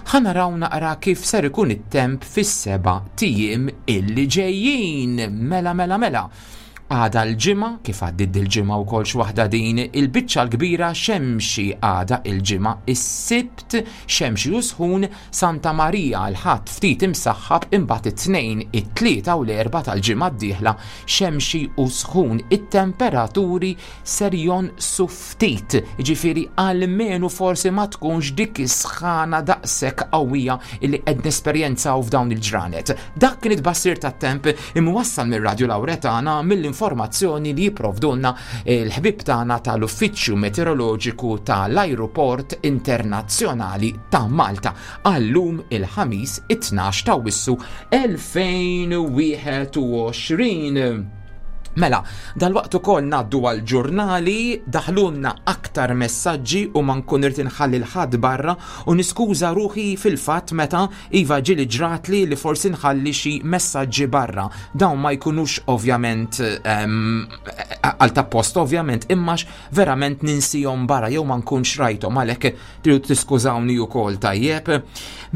Ħa naraw naqra kif ser ikun it-temp fis-seba' tijiem illi ġejjin. Mela mela mela. Għada l-Ġimgħa, kif għaddiet dil-ġimgħa wkoll x'waħda din, il-biċċa l-kbira xemxi għada il-Ġimgħa, is-Sibt xemxi u sħun, Santa Marija l-Ħadd ftit imsaħħab imbagħad it-Tnejn, it-Tlieta u l-Erbgħa tal-ġimgħa d-dieħla xemxi u sħun. It-temperaturi ser jonqsu ftit, jiġifieri almenu forsi ma tkunx dik is-sħana daqshekk qawwija li qed nesperjenzaw f'dawn il-ġranet. Dak kien it-tbassir tat-temp imwassal mir-Radju Lawretana mill-informazzjoni li jipprovdulna l-ħbieb tagħna tal-Uffiċċju Meteoroloġiku tal-Ajruport Internazzjonali ta' Malta għal-lum il-Ħamis it-12 ta' Awwissu 2021. Mela, dalwaqt ukoll ngħaddu għal ġurnali, daħlulna aktar messaġġi u ma nkun irid inħalli l-ħadd barra u niskuża ruħi fil-fatt meta iva ġieli ġratli li forsi nħalli xi messaġġi barra. Dawn ma jkunux ovvjament ehm, għal ta' post ovvjament imma verament ninsihom barra jew ma nkunx rajthom għalhekk Tridu tiskużawni ukoll tajjeb.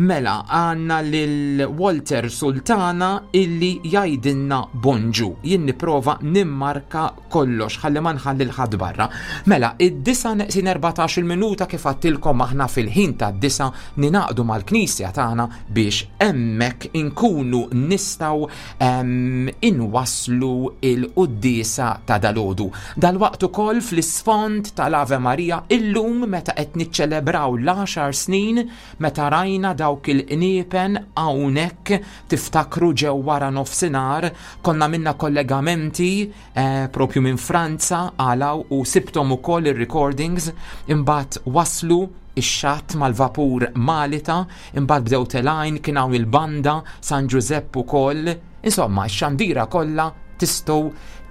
Mela għandna lil Walter Sultana illi jgħidilna bonġu. Jien nipprova nimmarka kollox ħalli ma nħalli l-ħadd barra. Mela, id-disa neqsin 14 minuta kif għattilkom aħna fil-ħin tad-disa ninaqdu mal-knisja tagħna biex hemmhekk inkunu nistgħu inwasslu il-quddiesa ta' dalodu. Dalwaqt ukoll fl-isfond tal-Ave Maria illum meta qed niċċelebraw l-għaxar snin meta rajna dawk il-qniepen hawnhekk tiftakru ġew wara nofsinhar konna minna kollegamenti eh, propju minn Franza għalaw u sibtom ukoll ir-recordings imbagħad waslu ix-xatt mal-vapur Malita, imbagħad bdew telgħin kien hawn il-banda San Ġużepp ukoll. Insomma, x-xandira kollha tistgħu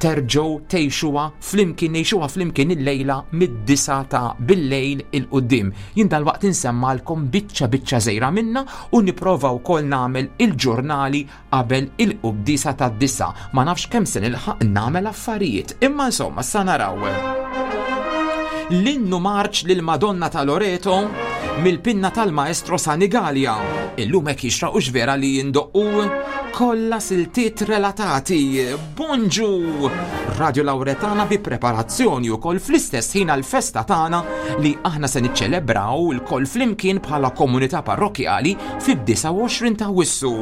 terġgħu tgħixuha flimkien ngħixuha flimkien illejla mid-disa ta' billejl il-qudiem. Jien dalwaqt insemmalkom biċċa biċċa żejra minna u nipprova wkoll nagħmel il-ġurnali qabel il-quddiesa tad-disa. Ma nafx kemm se nilħaq nagħmel affarijiet, imma insomma sa naraw. L-innu marċ lil Madonna ta' Loreto mill-pinna tal-maestro Sanigalia. Illum hekk jixraq u vera li jindoqqu kollha siltiet relatati. Bonġu! Radio Lauretana bi preparazzjoni wkoll fl-istess ħin għall-festa tagħna li aħna se niċċelebraw il-koll flimkien bħala komunità parrokkjali fid-29 ta' Wissu.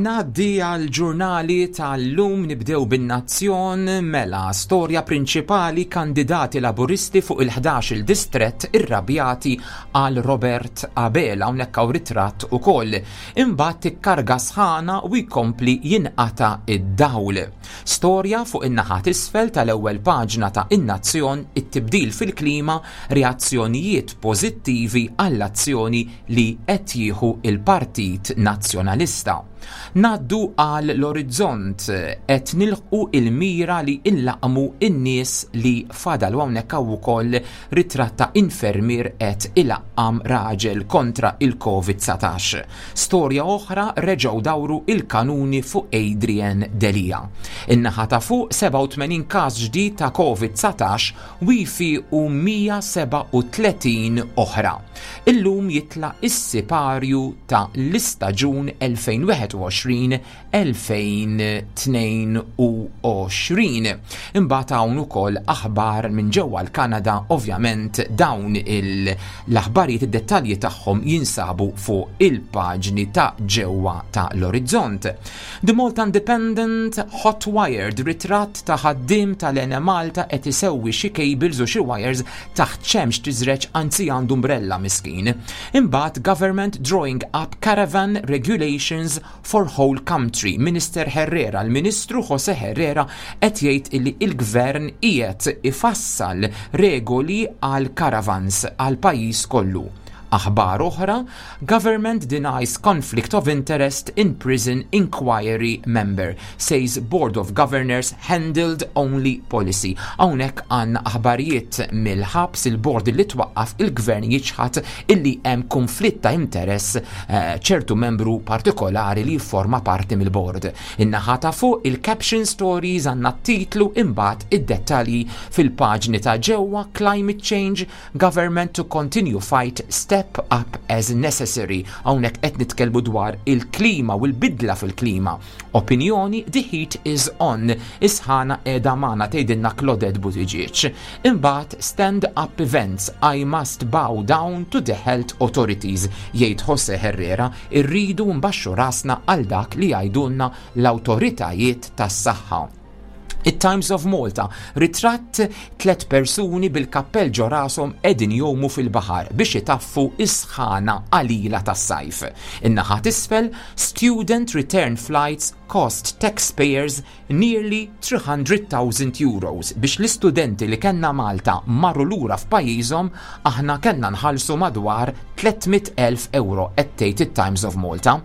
Ngħaddi għal ġurnali tal-lum nibdew bin-Nazzjon mela storja prinċipali kandidati laburisti fuq il-11 il-distrett irrabjati għal Robert Abela hawnhekk hawn ritratt ukoll. Imbagħad tikkarga sħana u jkompli jinqata' id-dawl. Storja fuq in-naħa t'isfel tal-ewwel paġna ta' In-Nazzjon it-tibdil fil-klima reazzjonijiet pożittivi għall-azzjoni li qed jieħu l-Partit Nazzjonalista. Ngħaddu għal l-orizzont qed nilħqu il-mira li nlaqqmu n-nies li fadal u hawnhekk hawn ukoll ritratt ta' infermier qed ilaqqam raġel kontra il-Covid-19. Storja oħra reġgħu dawru il-kanuni fuq Adrian Delia. In-naħa ta' fuq 87 każ ġdid ta' Covid-19 wifi u 137 oħra. Illum jitla' is-siparju ta' l-istaġun 2021-2022. Imbagħad hawn ukoll aħbar minn ġewwa l-Kanada, ovvjament dawn l-aħbarijiet id-dettalji tagħhom jinsabu fuq il-paġni ta' ġewwa ta' l-Orizzont. The Malta Independent Hot Wired ritratt ta' ħaddiem tal-Enemalta qed isewwi xi cables u xi wires taħt xemx tiżreġ anzi għandu umbrella miskin. Imbagħad government drawing up caravan regulations for whole country. Minister Herrera, l-Ministru Jose Herrera qed jgħid illi il-gvern qiegħed ifassal regoli għal caravans għal pajjiż kollu. Aħbar oħra, government denies conflict of interest in prison inquiry member, says Board of Governors handled only policy. Hawnhekk għandna aħbarijiet mill-ħabs il-bord li twaqqaf il-gvern jiċħad illi hemm konflitt ta' interess eh, ċertu membru partikolari li jifforma parti mill-bord. In-naħa ta' fuq il-caption stories għandna titlu imbagħad id-dettalji fil-paġni ta' ġewwa climate change Government to continue fight step up as necessary. Hawnhekk qed nitkellmu dwar il-klima u l-bidla fil-klima. Opinjoni the heat is on. Is-sħana qiegħda magħna tgħidilna Claudette Buttigieg. Imbagħad stand up events I must bow down to the health authorities jgħid Jose Herrera irridu nbaxxu rasna għal dak li jgħidulna l-awtoritajiet tas-saħħa. It-Times of Malta, ritratt tlet persuni bil-kappell ġo rashom qegħdin jgħumu fil-baħar biex itaffu is-sħana qalila tas-sajf. In-naħa t'isfel, student return flights cost taxpayers nearly 300,000 euros biex l-istudenti li kellna Malta marru lura f'pajjiżhom aħna kellna nħallsu madwar 300,000 euro qed tgħid it-Times of Malta.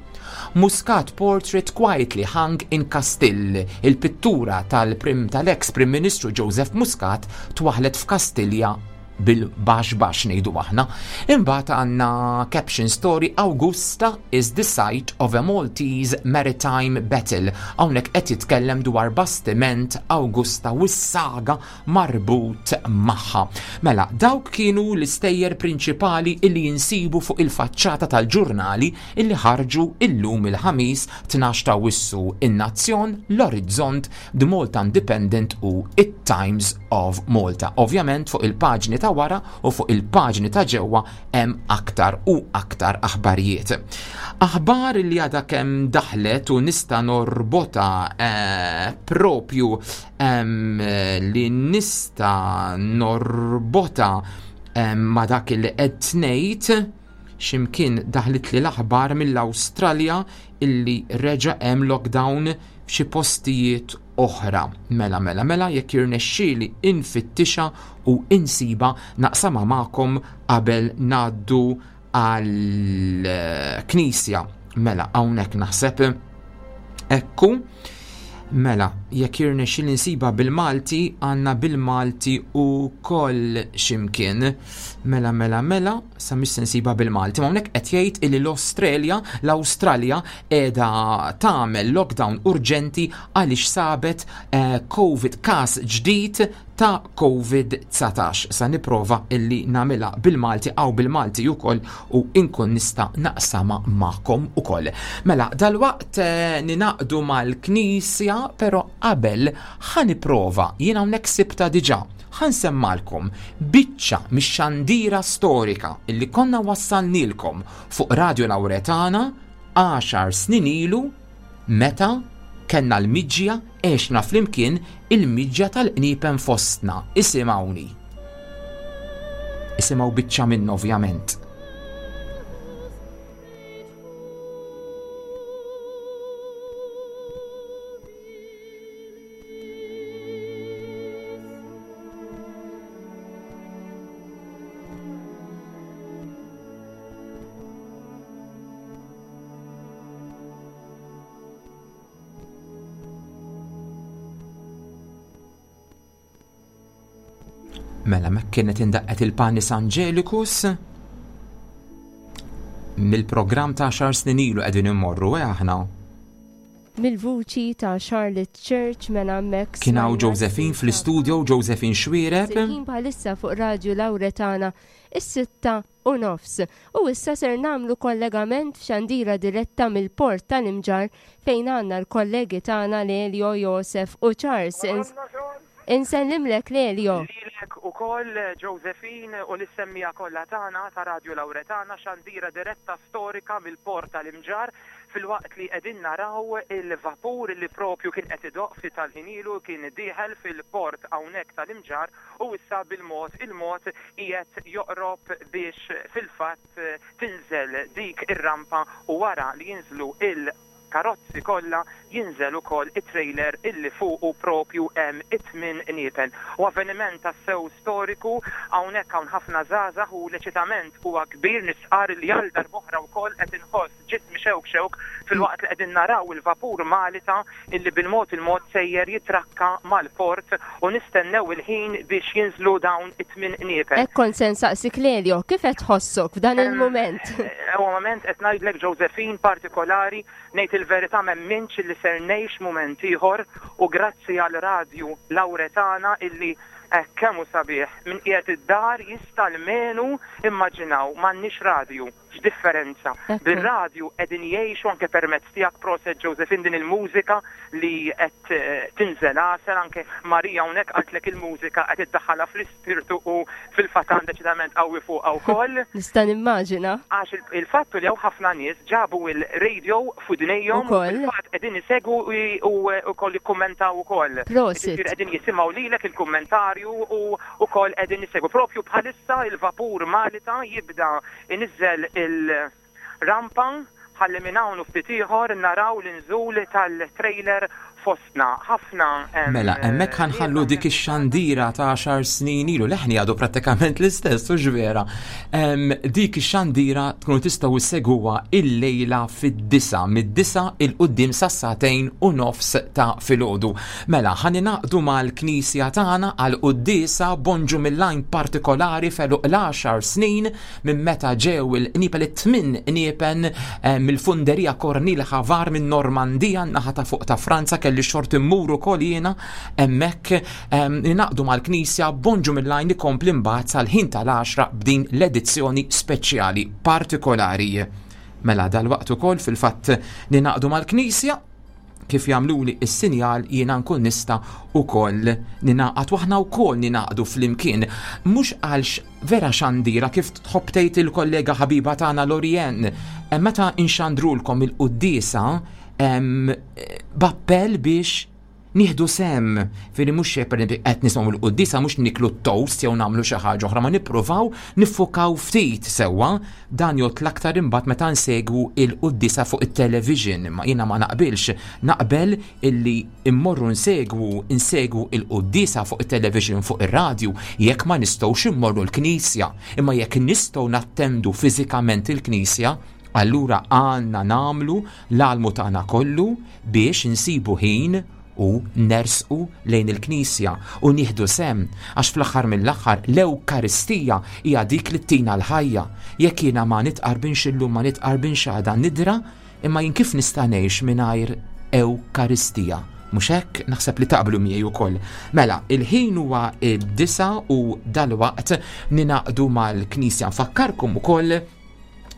Muscat portrait quietly hung in Castille. Il-pittura tal-prim tal-ex Prim Ministru Joseph Muscat twaħlet f'Kastilja bil-bax bax ngħidu aħna. Imbagħad għandna caption story Augusta is the site of a Maltese maritime battle. Hawnhekk qed jitkellem dwar bastiment Augusta u s-saga marbut magħha. Mela, dawk kienu l-istejjer prinċipali illi jinsibu fuq il-faċċata tal-ġurnali illi ħarġu illum il-ħamis 12 ta' Awwissu in-Nazzjon, l-Orizzont, The Malta Independent u it-Times of Malta. Ovvjament fuq il-paġni ta' wara u fuq il-paġni ta' ġewwa hemm aktar u aktar aħbarijiet. Aħbar li għadha kemm daħlet u nista' norbota eh, propju li nista' norbota ma' dak li qed ngħid x'imkien daħlit li l-aħbar mill-Awstralja illi reġa' hemm lockdown f'xi postijiet oħra. Mela, mela, mela, jekk jirnexxieli infittixha u insiba naqsamha magħkom qabel ngħaddu għal knisja. Mela, hawnhekk naħseb ekku. Mela, jekk jirnexxieli nsiba bil-Malti, għandna bil-Malti u koll ximkien. Mela, mela, mela, sa mhix se nsiba bil-Malti. Ma hawnhekk qed jgħid illi l-Australia, l-Awstralja qiegħda tagħmel lockdown urġenti għaliex sabet eh, COVID każ ġdid ta' Covid-19. Sa niprova illi namela bil-Malti għaw bil-Malti ukoll u inkun nista' naqsama magħkom ukoll. Mela, dalwaqt eh, ninaqdu mal-Knisja, però qabel ħa niprova jien hawnhekk sibta diġà ħansemmalkom biċċa mix-xandira storika illi konna wassalnilkom fuq Radio Lauretana 10 snin ilu. meta kellna l-miġja għexna flimkien il-miġja tal-qniepen fostna. Isimgħuni. Isimgħu biċċa minnu ovvjament. Mela mek kienet indaqqet il-Panis Angelicus mill-programm ta' xar snin ilu qegħdin immorru eh aħna. Mill-vuċi ta' Charlotte Church mela hemmhekk. Kien hawn Josephine fl-istudio, Josephine Xuereb. Il-ħin bħalissa fuq Radju Lawretana is-6:30. U issa ser nagħmlu kollegament f'xandira diretta mill-Port tal-Imġarr fejn għandna l-kollegi tagħna Lelio, Josef u Charles. Insellimlek Lelio. Lilek ukoll Josephine u lis-semmiegħa kollha tagħna ta' Radju Lawretana, xandira diretta storika mill-Port tal-Imġarr filwaqt li qegħdin naraw il-vapur li propju kien qed idoqq ftit tal-ħin ilu kien dieħel fil-port hawnhekk tal-Imġarr u issa bil-mod il-mod qiegħed joqrob biex fil-fatt tinżel dik ir-rampa u wara li jinżlu il karozzi kollha jinżel ukoll it-trailer illi fuqu propju hemm it-tmien qniepen. U avveniment tassew storiku, hawnhekk hawn ħafna żgħażagħ u l-eċitament huwa kbir, nistqarr li għal darb'oħra wkoll qed inħoss ġismi xewk xewk filwaqt li qegħdin naraw il-vapur Malita illi bil-mod il-mod sejjer jitrakka mal-port u nistennew il-ħin biex jinżlu dawn it-tmien qniepen. Hekk kont se nsaqsik Lelio, kif qed tħossok f'dan il-mument? Huwa mument qed ngħidlek Josephine partikolari, ngħid il-verità m'emminx illi ser ngħix mument ieħor u grazzi għal radju Lawretana illi hekk kemm hu sabiħ, min qiegħed id-dar jista' almenu immaġinaw m'għandniex radju. X'differenza. Bir-radju qegħdin jgħixu anke permezz tiegħek proset Josephine din il-mużika li qed tinżel għasel anke Maria hawnhekk qaltlek il-mużika qed iddaħħalha fl-ispirtu u fil-fatt għandha eċitament qawwi fuqha wkoll. Nista' nimmaġina. Għax il-fatt hu li hawn ħafna nies ġabu il-radio f'widnejhom u fil-fatt qegħdin isegwu u wkoll jikkummentaw ukoll. Prosit. Jiġifieri qegħdin jisimgħu lilek il-kummentarju u wkoll qegħdin isegwu. Propju bħalissa il-vapur Malita jibda Iniżżel il-rampa ħalli minn hawn u ftit ieħor naraw l-inżul tal-trailer fostna. Ħafna hemm. Mela, hemmhekk ħa nħallu dik ix-xandira ta' għaxar snin ilu, leħni għadu prattikament l-istess, hux vera. Dik ix-xandira tkunu tistgħu ssegwuha illejla fid-disgħa, mid-disgħa 'il quddiem sas-sagħtejn u nofs ta' filgħodu. Mela, ħa ningħaqdu mal-Knisja tagħna għal quddiesa bonġu mill-għajn partikolari f'għeluq l-għaxar snin minn meta ġew il-qniepen it-tmien qniepen eh, mill-funderija Cornil Havar minn Normandija naħa ta' fuq ta' Franza kelli xorti mmur ukoll jiena hemmhekk eh, ninaqdu mal-Knisja bonġu mill-għajn ikompli mbagħad sal-ħin tal-għaxra b'din l-edizzjoni speċjali partikolari. Mela dal-waqt ukoll fil-fatt ninaqdu mal-Knisja kif jagħmluli s-sinjal jiena nkun nista' ukoll ninaqgħad u aħna wkoll ninaqdu flimkien mhux għalx vera xandira kif tħobb tgħid il-kollega ħabiba tagħna Lorien eh, meta inxandrulkom il-quddiesa b'appell biex nieħdu sem, firri mhux xejn per qed nisimgħu l-quddiesa mhux niklu toast jew nagħmlu xi ħaġa oħra ma nippruvaw niffukaw ftit sewwa Dan jgħodd l-aktar imbagħad meta nsegwu il-quddiesa fuq it-television, imma jiena ma naqbilx. Naqbel illi immorru nsegwu insegwu il-quddiesa fuq it-television fuq ir-radju jekk ma nistgħux immorru l-knisja. Imma jekk nistgħu nattendu fiżikament il-knisja, allura għandna nagħmlu l-almu tagħna kollu biex insibu ħin u nersqu lejn il-Knisja u nieħdu sehem, għax fl-aħħar mill-aħħar l-Ewkaristija hija dik li ttina l-ħajja. Jekk jiena ma nitqarbinx illum ma nitqarbinx għada nidra, imma jien kif nista' ngħix mingħajr Ewkaristija? Mhux hekk? Naħseb li taqblu miegħi wkoll. Mela, il-ħin huwa d-disa u dalwaqt ninaqdu mal-Knisja. Nfakkarkom ukoll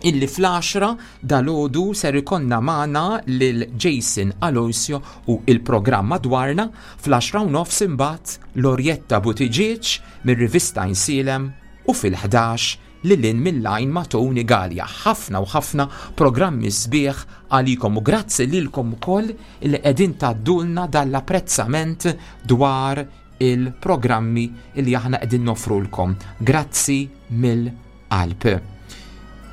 illi fl-għaxra dalgħodu ser ikollna magħna lil Jason Aloisio u il-programm madwarna, fl-għaxra u nofs imbagħad Lorietta Buttigieg mir-rivista Insielem u fil-ħdax Lil hinn mill-għajn ma' Tony Galea. Ħafna u ħafna programmi sbieħ għalikom u grazzi lilkom ukoll li qegħdin tgħaddulna dan l-apprezzament dwar il-programmi li aħna qegħdin noffrulkom. Grazzi mill-qalb.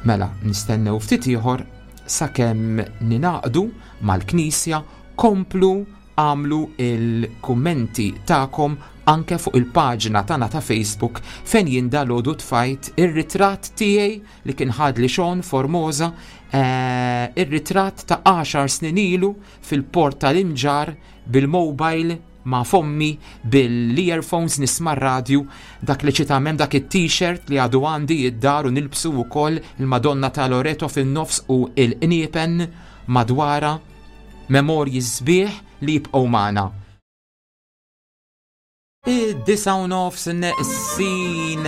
Mela, nistennew ftit ieħor sakemm ninaqdu mal-Knisja komplu Agħmlu l-kummenti tagħkom anke fuq il-paġna tagħna ta' Facebook fejn jien dalgħodu tfajt ir-ritratt tiegħi li kien ħadli Sean Formosa, eh, ir-ritratt ta' għaxar snin ilu fil-port tal-Imġarr bil-mobile ma' fommi bil-earphones nisma' r-radju, dak li ċitamem dak it-t-shirt li għadu għandi id-dar u nilbsu wkoll il-Madonna ta' Loreto fin-nofs u il-qniepen madwarha. Memorji sbieħ li jibqgħu magħna. Id-disa u nofs neqsin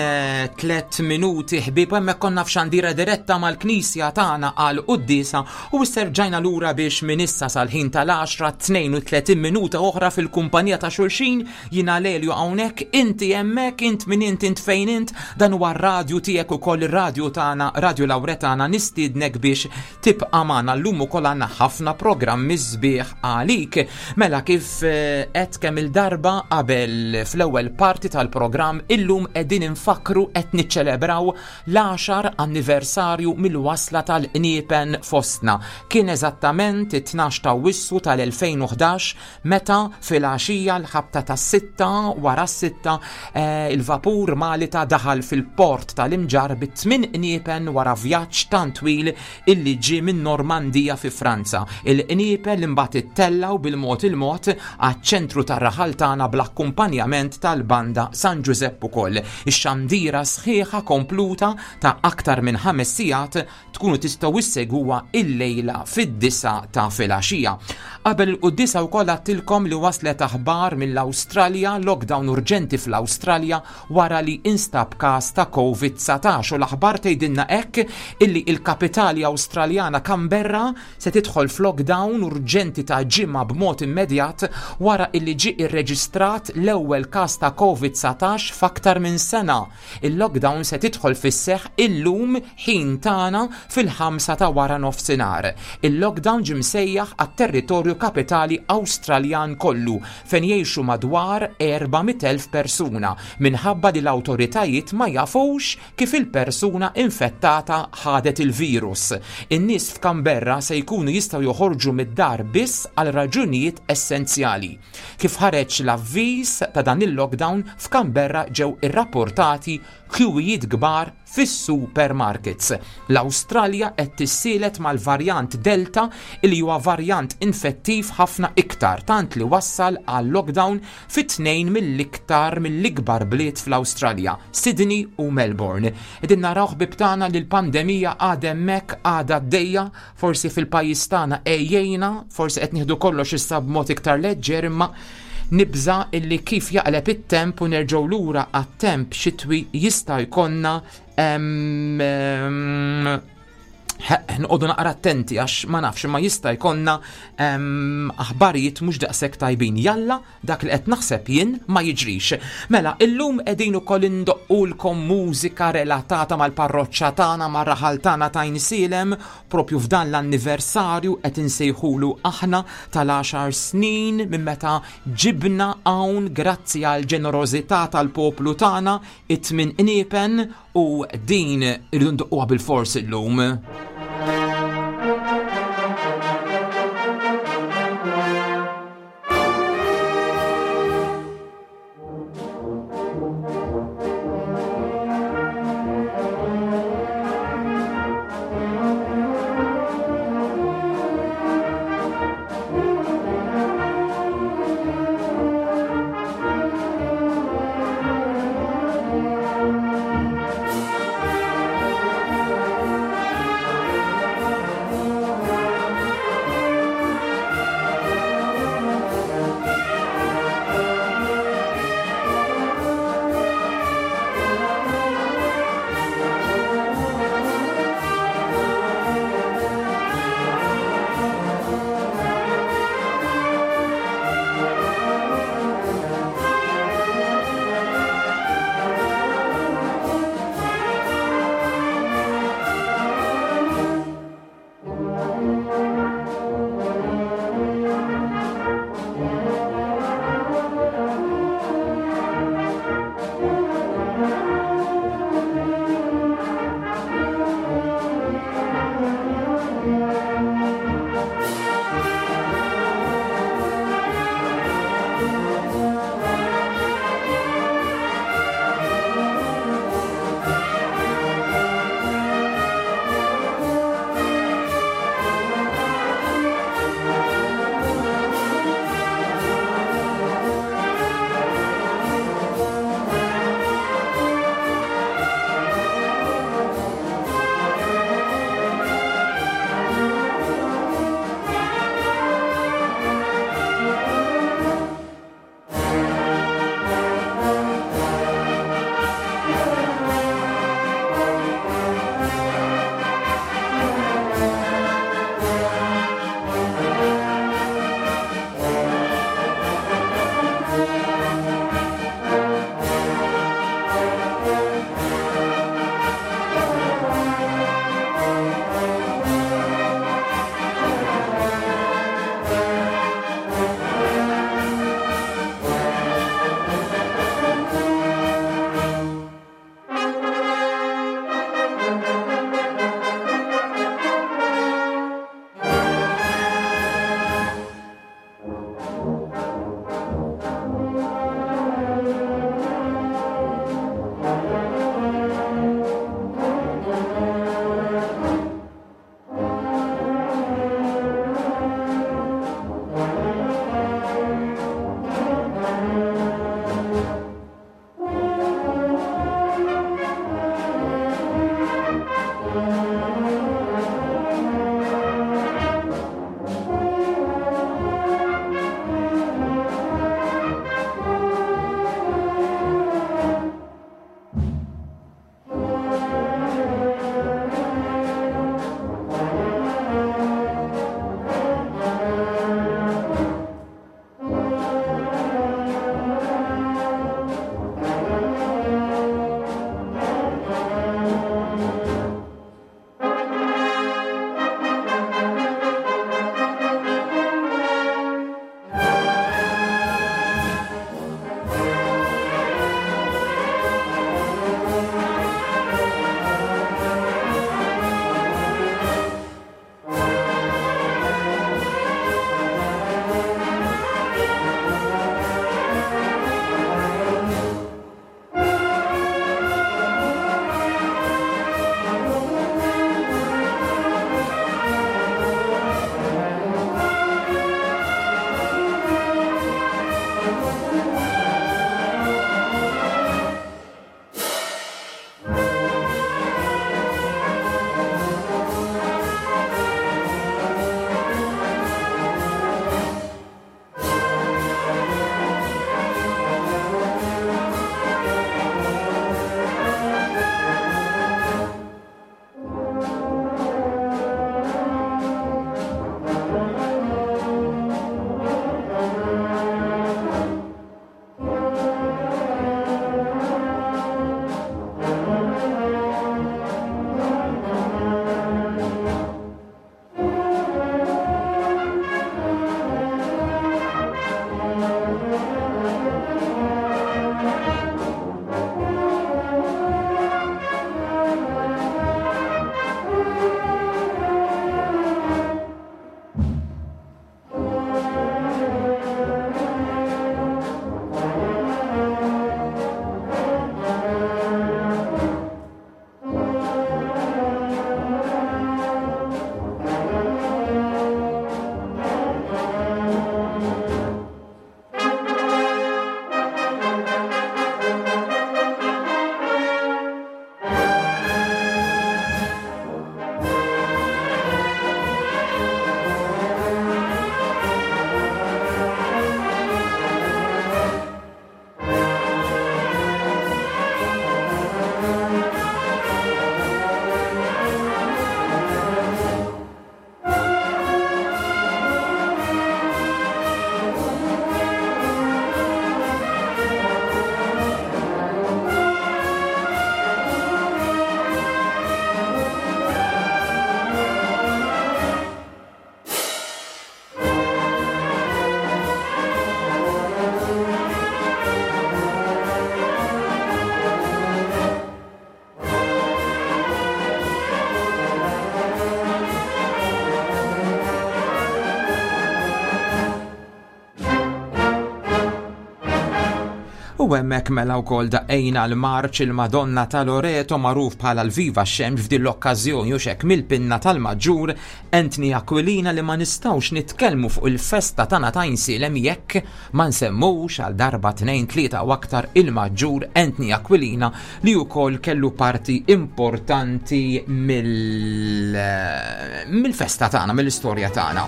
tlet minuti ħbieb hemmhekk konna f'xandira diretta mal-knisja tagħna għal quddiesa u issa rġajna lura biex minn issa sal-ħin tal-10 32 minuta oħra fil-kumpanija ta' xulxin jiena Lelio hawnhekk inti hemmhekk int min int int fejn int dan huwa r-radju tiegħek ukoll ir-radju tagħna Radio Lawretana nistiednek biex Tibqa' magħna llum ukoll għandna ħafna programmi sbieħ għalik. Mela kif eh, qed kemm il-darba qabel fl-ewwel parti tal-programm illum qegħdin infakkru qed niċċelebraw l-10 anniversarju mill-wasla tal-qniepen fostna. Kien eżattament it-12 ta' Wissu tal-2011 Meta filgħaxija l-ħabta tas-sitta wara s-sitta eh, il-vapur Malita daħal fil-port tal-Imġarr bi tmien qniepen wara vjaġġ tant twil illi ġie minn Normandija fi Franza. Il-qniepen li mbagħad ittellgħu bil-mod il-mod għaċ-ċentru tar-raħal tagħna bl-akkumpanjament tal-banda San Ġużepp ukoll. Ix-xandira sħiħa kompluta ta' aktar minn ħames sigħat tkunu tistgħu issegwuha illejla fid-disgħa ta' filgħaxija. Qabel il-quddiesa wkoll għadtilkom li waslet aħbar mill-Awstralja, lockdown urġenti fl-Awstralja wara li instab każ ta' Covid-19 u l-aħbar tgħidilna hekk illi il-kapitali Awstraljana Canberra se tidħol f'lockdown urġenti ta' ġimgħa b'mod immedjat wara illi ġie irreġistrat l-ewwel każ ta' Covid-19 f'aktar minn sena. Il-lockdown se tidħol fis-seħħ illum ħin tagħna fil-ħamsa ta' wara nofsinhar. Il-lockdown ġie msejjaħ għat-territorju kapitali Awstraljan kollu fejn jgħixu madwar 400,000 persuna minħabba li l-awtoritajiet ma jafux kif il-persuna infettata ħadet il-virus. In-nies f'Canberra se jkunu jistgħu joħorġu mid-dar biss għal raġunijiet essenzjali. Kif ħareġ l-avviż ta' dan il-lockdown, f'Canberra ġew irrapportati kjuwijiet kbar fis-supermarkets. L-Awstralja qed tissielet mal-varjant Delta li huwa varjant infettiv ħafna iktar tant li wassal għal lockdown fi tnejn mill-iktar mill-ikbar bliet fl-Awstralja, Sydney u Melbourne. Qegħdin naraw ħbieb tagħna li l-pandemija għadha hemmhekk għadha għaddejja Forsi fil-pajjiż tagħna għejjejna, forsi qed nieħdu kollox issa b'mod iktar leġġer imma nibża illi kif jaqleb it-temp u nerġgħu lura għat-temp xitwi jista' jkollna nqogħdu naqra attenti għax ma nafx imma jista' jkollna aħbarijiet mhux daqshekk tajbin. Jalla Dak li qed naħseb jien ma jiġrix. Mela, illum qegħdin ukoll indoqqulkom mużika relatata mal-parroċċa tagħna, mar-raħal tagħna ta' Għajnsielem, propju f'dan l-anniversarju qed insejħulu aħna tal-għaxar snin minn meta ġibna hawn grazzi għall-ġenerożità tal-poplu tagħna it-tmien qniepen u din irridu ndoqquha bilfors illum. U hemmhekk mela wkoll daqqejna l-marċ il-Madonna ta' Loreto magħruf bħala l-Viva x-Xemx f'din l-okkażjoni u xek mill-pinna tal-Maġġur Anthony Aquilina li ma nistgħux nitkellmu fuq il-festa tagħna ta' Għajnsielem jekk ma nsemmux għal darba tnejn tlieta u aktar il-Maġġur Anthony Aquilina li wkoll kellu parti importanti mill-festa tagħna, mill-istorja tagħna.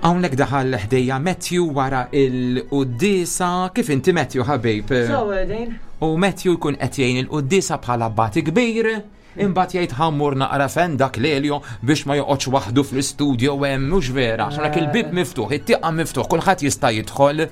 Hawnhekk daħal ħdejja Matthew wara il-quddiesa. Kif inti Matthew ħabib? U Matthew jkun qed jgħin il-quddiesa bħala bati kbir. Imbagħad jgħid ħammur naqra fen dak l-Elio biex ma joqgħodx waħdu fl-istudio hemm mhux vera. Għax il-bib miftuħ, it-tieqa miftuħ, kulħadd jista' jidħol.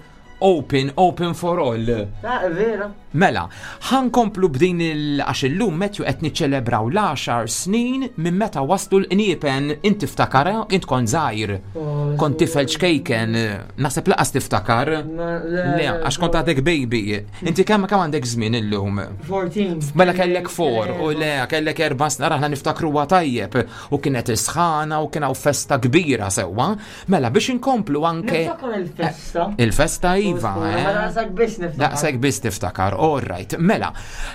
Open, open for all. Ah, vera. Mela, ħankomplu b'din il għax illum Matthew qed niċċelebraw l-10 snin minn meta waslu l-qniepen int tiftakar, int kont żgħir. Oh, Kont tifel ċkejken, naħseb laqas tiftakar. Le, għax kont għadek baby. Inti kemm kemm għandek żmien illum? 14. Mela kellek 4 u le kellek erba' snin aħna niftakruha tajjeb u kienet isħana u kien hawn festa kbira sewwa. Mela biex inkomplu anke. Niftakar il-festa. Il-festa iva. Eh? Daqshekk biss niftakar. Daqshekk biss tiftakar, all right. Mela,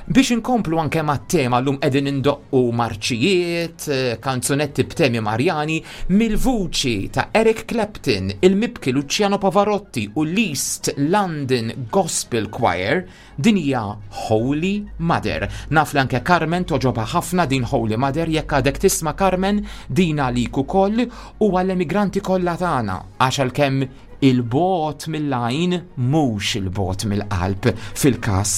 biex inkomplu anke mat-tema llum qegħdin indoqqu marċijiet, eh, kanzunetti b'temi Marjani mill-vuċi ta' Eric Clapton, il-mibki Luciano Pavarotti u l-East London Gospel Choir. Din hija Holy Mother. Naf li anke Carmen toġobha ħafna din Holy Mother jekk għadek tisma' Carmen din għalik ukoll u għall-emigranti kollha tagħna għax għalkemm il-bogħod mill-għajn mhux il-bogħod mill-qalb fil-każ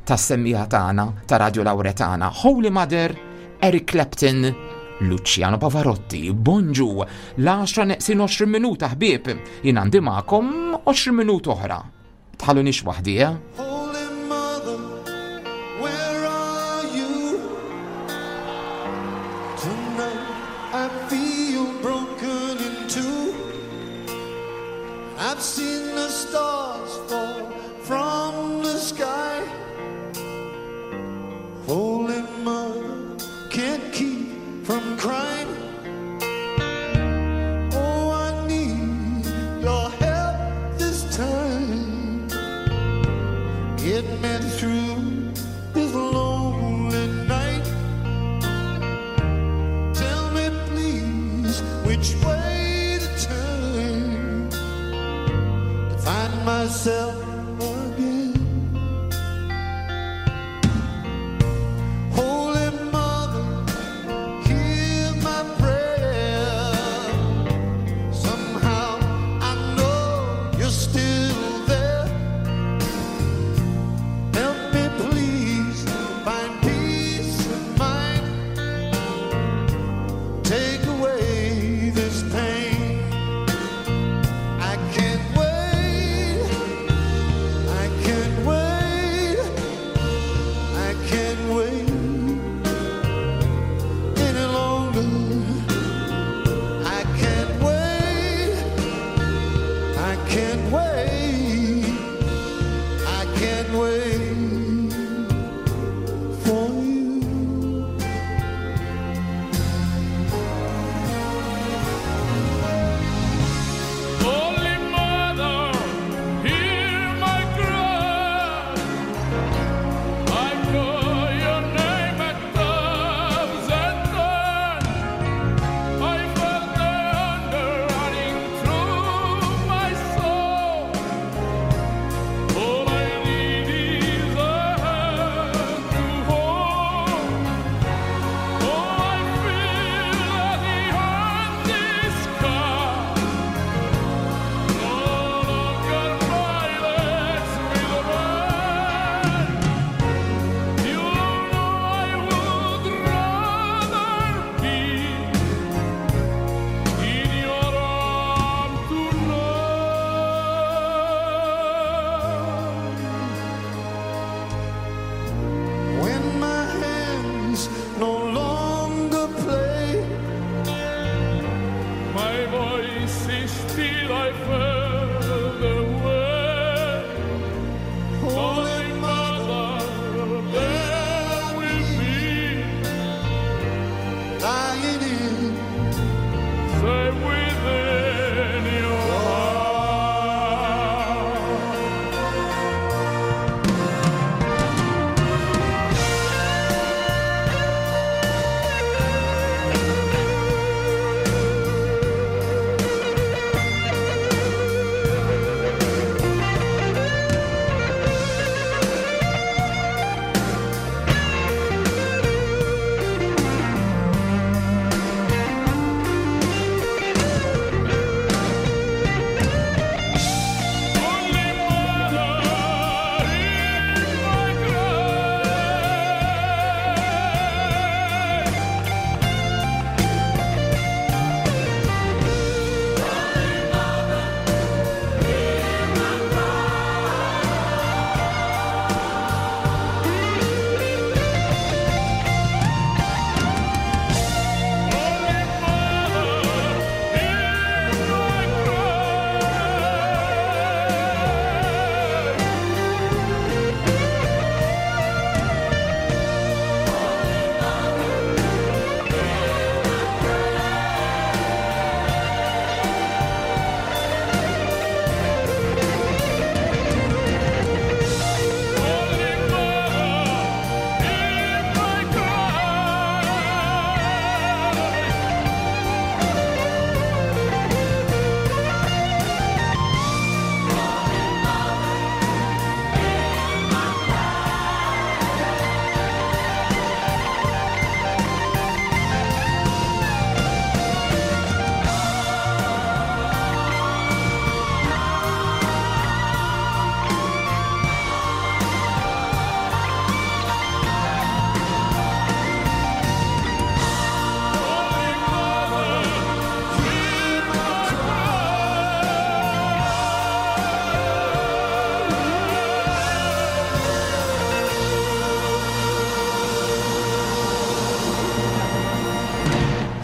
tas-semmiegħa tagħna ta' Radio Lauretana. Holy Mother, Eric Clapton, Luciano Pavarotti, bonġu, l-10 neqsin 20 minuta ħbieb, jien għandi magħkom 20 minuta oħra. Tħallunix waħdi, eh? Holy Mother, where are you? Tonight I feel broken in two. I've seen the stars fall from the sky. Holy Mother, can't keep from crying. Oh, I need your help this time. Get me through this lonely night. Tell me, please, which way to turn to find myself again. Holy Mother, hear my prayer. Somehow I know you're still there. Help me please find peace of mind. Take away this pain. I can't wait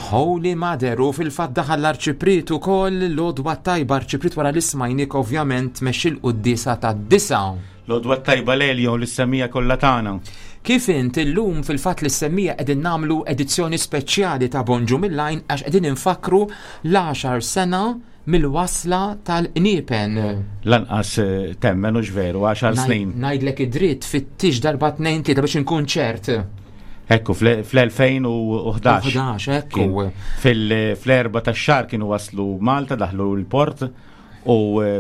Holy Mother u fil-fatt daħal l-Arċipriet ukoll l-għodwa tajba Arċipriet wara li smajnik ovvjament tmexxi l-quddiesa tad-disgħa. L-għodwa tajba Lelio lis-semmiegħa kollha tagħna. Kif int illum fil-fatt lis-semmiegħa qegħdin nagħmlu edizzjoni speċjali ta' Bonġu mill-Għajn għax qegħdin infakkru l-għaxar sena mill-wasla tal-qniepen. Lanqas temmen hux veru, għaxar snin. Ngħidlek id-dritt fittix darba tnejn tlieta biex inkun ċert. Ekku, fl-2011. 11, ekku. Fl-erba tax-xahar kienu waslu Malta, daħlu l-port u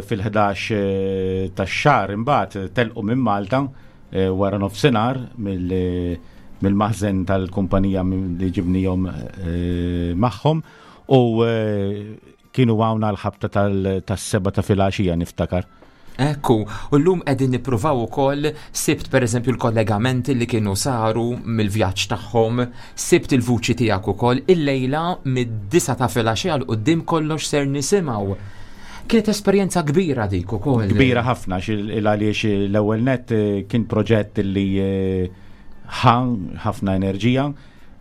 fil-11 tax-xahar imbagħad telqu minn Malta wara nofsinhar mill-maħżen tal-kumpanija li ġibnihom magħhom u kienu hawn għall-ħabta tas-sebgħa ta' filgħaxija niftakar. Ekku, u llum qegħdin nippruvaw ukoll, sibt pereżempju l-kollegamenti li kienu saru mill-vjaġġ tagħhom, sibt il-vuċi tiegħek ukoll, illejla mid-disgħa ta' filgħaxija 'l quddiem kollox ser nisimgħu. Kienet esperjenza kbira dik ukoll. Kbira ħafna għaliex l-ewwel nett kien proġett li ħa ħafna enerġija,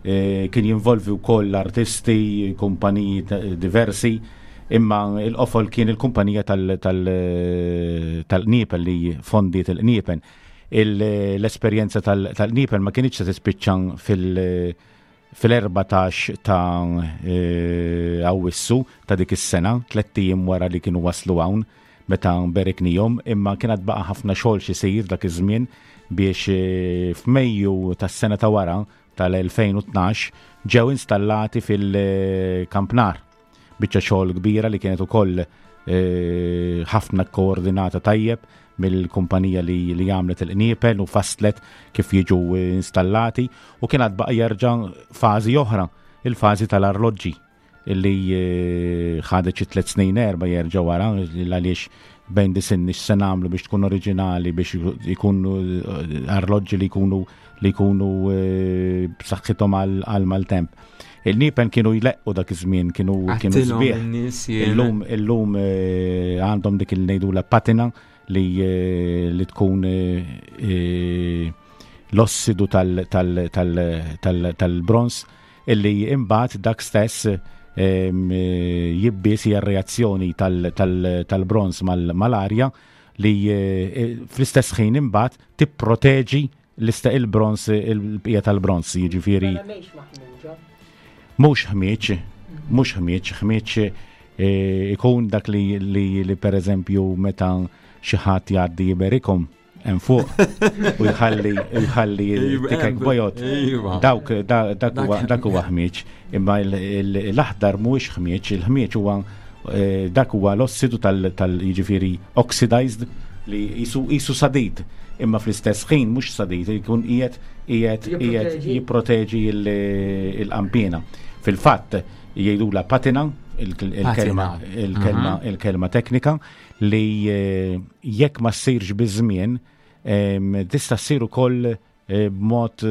kien jinvolvi wkoll artisti, kumpaniji diversi, imma l-qofol kien il-kumpanija tal-qniepen li fondiet il-qniepen. L-esperjenza tal-qniepen ma kinitx se tispiċċa fil-14 ta' Awwissu ta' dik is-sena, tlett ijiem wara li kienu waslu hawn meta beriknihom, imma kien għad baqa' ħafna xogħol x'isir dak iż-żmien biex f'Mejju tas-sena ta' wara tal-2012 ġew installati fil-Kampnar. Biċċa xogħol kbira li kienet ukoll eh, ħafna koordinata tajjeb mill-kumpanija li, li għamlet il-qniepel u faslet kif jiġu installati u kien għad baqa' jerġa' fażi oħra, il-fażi tal-arloġġi illi eh, ħadet xi tliet snin erba' jerġa' wara għaliex bejn disinni x'se nagħmlu biex tkun oriġinali biex ikunu eh, arloġġi li jkunu li jkunu eh, b'saħħithom għal maltemp. Il-nipen kienu jleqqu dak iż-żmien, kienu kienu sbieħ. Illum illum għandhom dik il-ngħidula patina li li tkun l-ossidu tal-bronz illi imbagħad dak stess jibbies hija r-reazzjoni tal-bronz mal-arja li fl-istess ħin imbagħad tipproteġi l-ista il-bronz il-bqija tal-bronz jiġifieri. Mela mhux ħmieġ, mhux ħmieġ, ħmieġ ikun dak li li pereżempju meta xi ħadd jgħaddi jiberikom hemm fuq u jħalli jħalli tikek bojot. Iva. Dawk dak huwa ħmieġ, imma l-aħdar mhuwiex ħmieġ, il-ħmieġ huwa eh, dak huwa l-ossidu tal jiġifieri oxidized li jisu sadid imma fl-istess ħin mhux sadid jkun qiegħed qiegħed qiegħed jipproteġi l-qampina. Fil-fatt jgħidula patina il-kelma il-kelma il-kelma teknika li jekk ma ssirx biż-żmien tista' ssir ukoll b'mod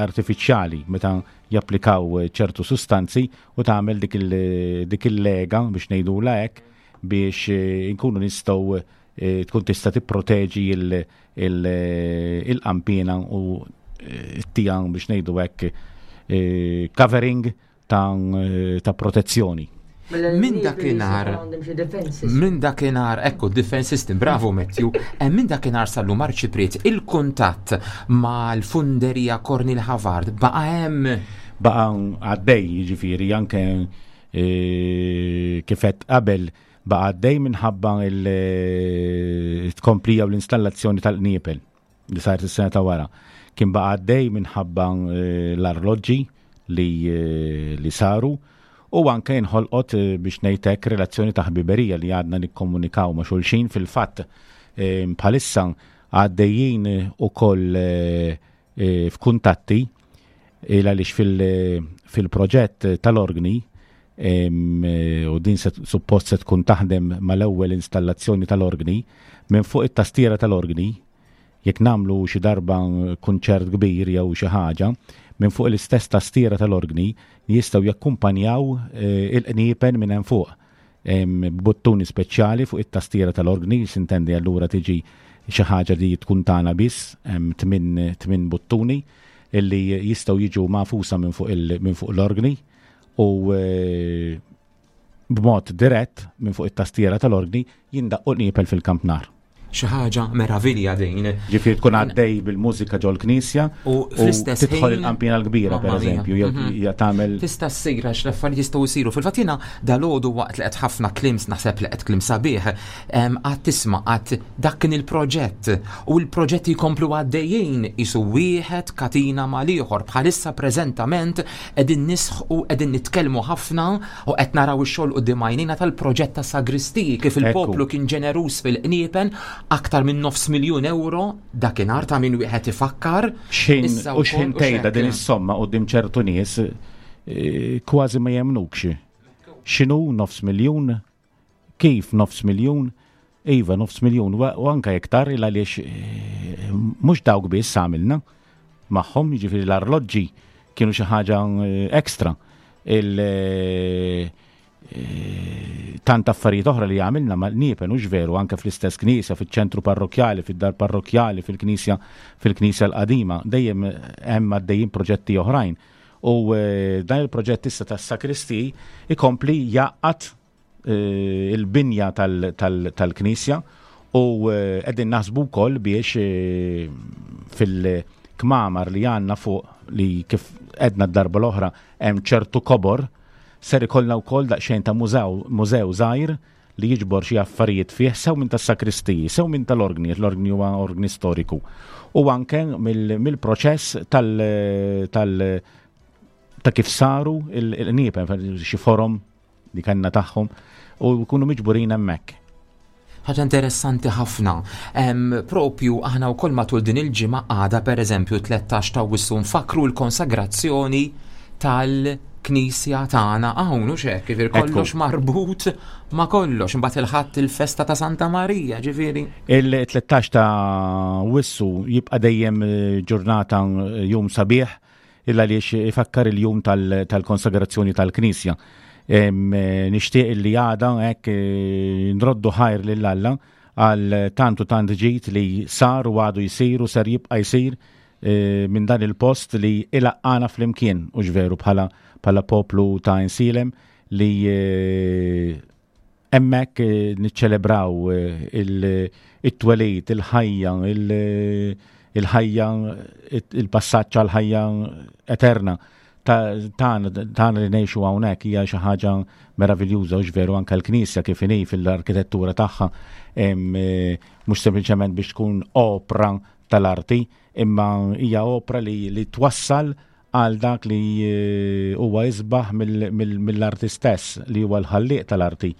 artifiċjali meta japplikaw ċertu sustanzi u tagħmel dik il-lega biex ngħidulha hekk biex inkunu nistgħu tkun tista' tipproteġi il-qampina u ttiha biex ngħidu hekk covering ta', ta protezzjoni. Mela Minn dakinhar minn dakinhar ekku defense system, bravo Matthew, eh, minn dakinhar sal-lum Arċipriet il-kuntatt mal-funderija Cornel Havard baqa' hemm. Baqa' għaddej, jiġifieri anke eh, kif qed qabel baqa' għaddej minħabba il-tkomplija u l-installazzjoni tal-qniepel. li saret is-sena ta' wara, kien baqa' għaddej minħabba eh, l-arloġġi li, eh, li saru u anke inħolqot eh, biex ngħid hekk relazzjoni ta' ħbiberija li għadna nikkomunikaw ma' xulxin fil-fatt bħalissa għaddejjin ukoll f'kuntatti il għaliex fil-proġett tal-organi u din suppost se tkun taħdem mal-ewwel installazzjoni tal-organi minn fuq it-tastiera tal-organi jekk nagħmlu xi darba kunċert kbir jew xi ħaġa, minn fuq l-istess tastiera tal-organi jistgħu jakkumpanjaw eh, il-qniepen minn hemm fuq b'buttuni speċjali fuq it-tastiera tal-organi, sintendi allura tiġi xi ħaġa li tkun tagħna biss, hemm tmien buttuni illi jistgħu jiġu magħfusa minn fuq minn fuq l-organi U eh, b'mod dirett minn fuq it-tastiera tal-orgni jindaqqu qniepel fil-kampnar. Xi ħaġa meravilja din. Ġifieri tkun għaddej bil-mużika ġol-knisja u fl-istess tidħol il-qampina l-kbira pereżempju jew mhm. hija tagħmel. Tista' ssir għax l-affarijiet jistgħu jsiru. Fil-fatt jiena dalgħodu waqt li qed ħafna klims naħseb li qed klim sabiħ, għad tisma' għad dak kien il-proġett u l-proġetti jkomplu għaddejjin isu wieħed katina mal-ieħor bħalissa preżentament qegħdin nisħqu qegħdin nitkellmu ħafna U qed naraw ix-xogħol quddiem għajnejna tal-proġett ta' sagristiji kif il-poplu kien ġeneruż fil-qniepen aktar minn nofs miljun euro dakinhar ta' min wieħed ifakkar. X'ħin u x'ħin tgħidha din is-somma quddiem ċertu nies eh, kważi ma jemnukx. X'inhu nofs miljun? Kif nofs miljun? Iva, nofs miljun, u anka iktar il għaliex eh, mhux dawk biss għamilna magħhom, jiġifieri l-arloġġi kienu xi ħaġa eh, ekstra. Il eh, tant affarijiet oħra li għamilna ma niepen hux veru anke fl-istess knisja, fiċ-ċentru parrokjali, fid-dar parrokjali, fil-knisja fil-knisja l-qadima, dejjem hemm għaddejjin proġetti oħrajn. U dan il-proġett issa tas-sakristi ikompli jaqgħad eh, il-binja tal-knisja u eh, qegħdin naħsbu wkoll biex eh, fil-kmamar li għandna fuq li kif edna d-darba l-oħra hemm ċertu kobor ser ikollna wkoll daqsxejn ta' mużew żgħir li jiġbor xi affarijiet fih sew minn tas-sakristiji, sew minn tal-orgni, l-orgni huwa orgni storiku. U anke mill-proċess tal, tal ta' kif saru il-qniepen, xi forom li kellna tagħhom u jkunu miġburin hemmhekk. Ħaġa interessanti ħafna. Propju aħna wkoll matul din il-ġimgħa għada pereżempju 13 ta' Awwissu nfakkru l-konsagrazzjoni tal-Knisja tagħna hawn u xek, ġifieri kollox marbut ma' kollox. Imbagħad il-Ħadd il-festa ta' Santa Marija, ġifieri. Il-13 ta' Awwissu jibqa' dejjem eh, ġurnata eh, jum sabiħ Il għaliex ifakkar il-jum tal-konsagrazzjoni tal-Knisja. Eh, nixtieq li għada hekk eh, nroddu ħajr lil Alla għal tant u tant ġid li sar u għadu jsir u ser jibqa' jsir eh, minn dan il-post li ilaqqana flimkien u veru bħala bħala poplu ta' insilem li Hemmhekk niċċelebraw it-twelid, il-ħajja, il-ħajja, il-passaġġ għal ħajja eterna tagħna tagħna li ngħixu hawnhekk hija xi ħaġa meraviljuża u veru anke l-Knisja kif inhi fil-arkitettura tagħha mhux sempliċement biex tkun opra tal-arti, imma hija opra li, li twassal għal dak li eh, huwa isbaħ mill-arti stess, li huwa l-ħallieq tal-arti,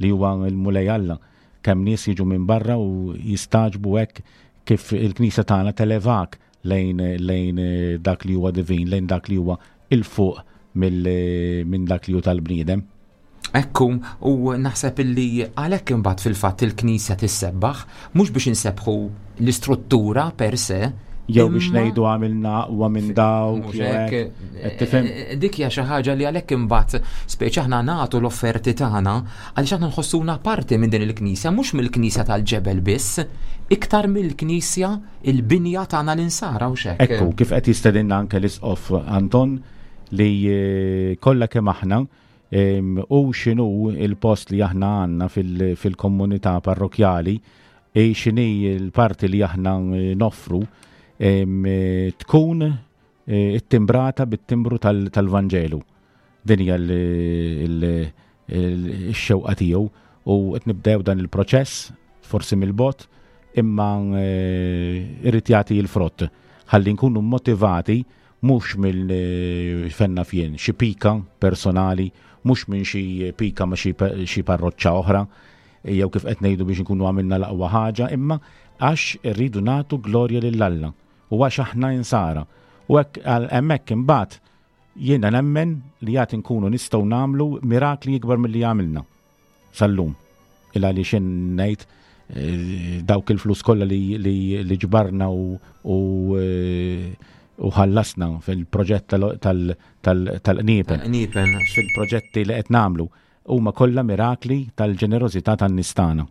li huwa l-Mulej Alla. Kemm nies jiġu minn barra u jistaġbu hekk kif il-Knisja tagħna televak lejn lejn eh, dak li huwa divin, lejn dak li huwa il-fuq minn dak li hu tal-bniedem. Ekku, u naħseb illi għalhekk imbagħad fil-fatt il-Knisja tissebbaħ, mhux biex insebbħu l-istruttura per se, jew biex ngħidu għamilna aqwa minn dawk. Eh, eh, dik hija xi ħaġa li għalhekk imbagħad speċi aħna nagħtu l-offerti tagħna għaliex aħna nħossuna parti minn din il-Knisja, mhux mill-Knisja tal-ġebel biss, iktar mill-Knisja il-binja tagħna l-insara u xek. Ekku, kif qed jistedinna anke l-Isqof Anton li eh, kollha kemm aħna U x'inhu il-post li aħna għandna fil-komunità parrokjali, e x'inhi l-parti li aħna noffru tkun e, ittimbrata bit-timbru tal-Vanġelu. Din hija x-xewqa tiegħu u qed nibdew dan il-proċess forsi mill-bot imma e, irrid jagħti l-frott ħalli nkunu motivati mhux mill fenna fien xi pika personali, mhux minn xi pika ma' xi parroċċa oħra, jew kif qed ngħidu biex nkunu għamilna l-aqwa ħaġa, imma għax irridu nagħtu glorja lil Alla u għax aħna insara. U hekk hemmhekk imbagħad jiena nemmen li għad inkunu nistgħu nagħmlu mirakli ikbar milli għamilna. sal-lum. Il għaliex jien ngħid eh, dawk il-flus kollha li, li, li ġbarna u, u, eh, u ħallasna fil-proġett tal-qniepen. Fil-proġetti li qed nagħmlu huma kollha mirakli tal-ġenerożità tan-nies tagħna.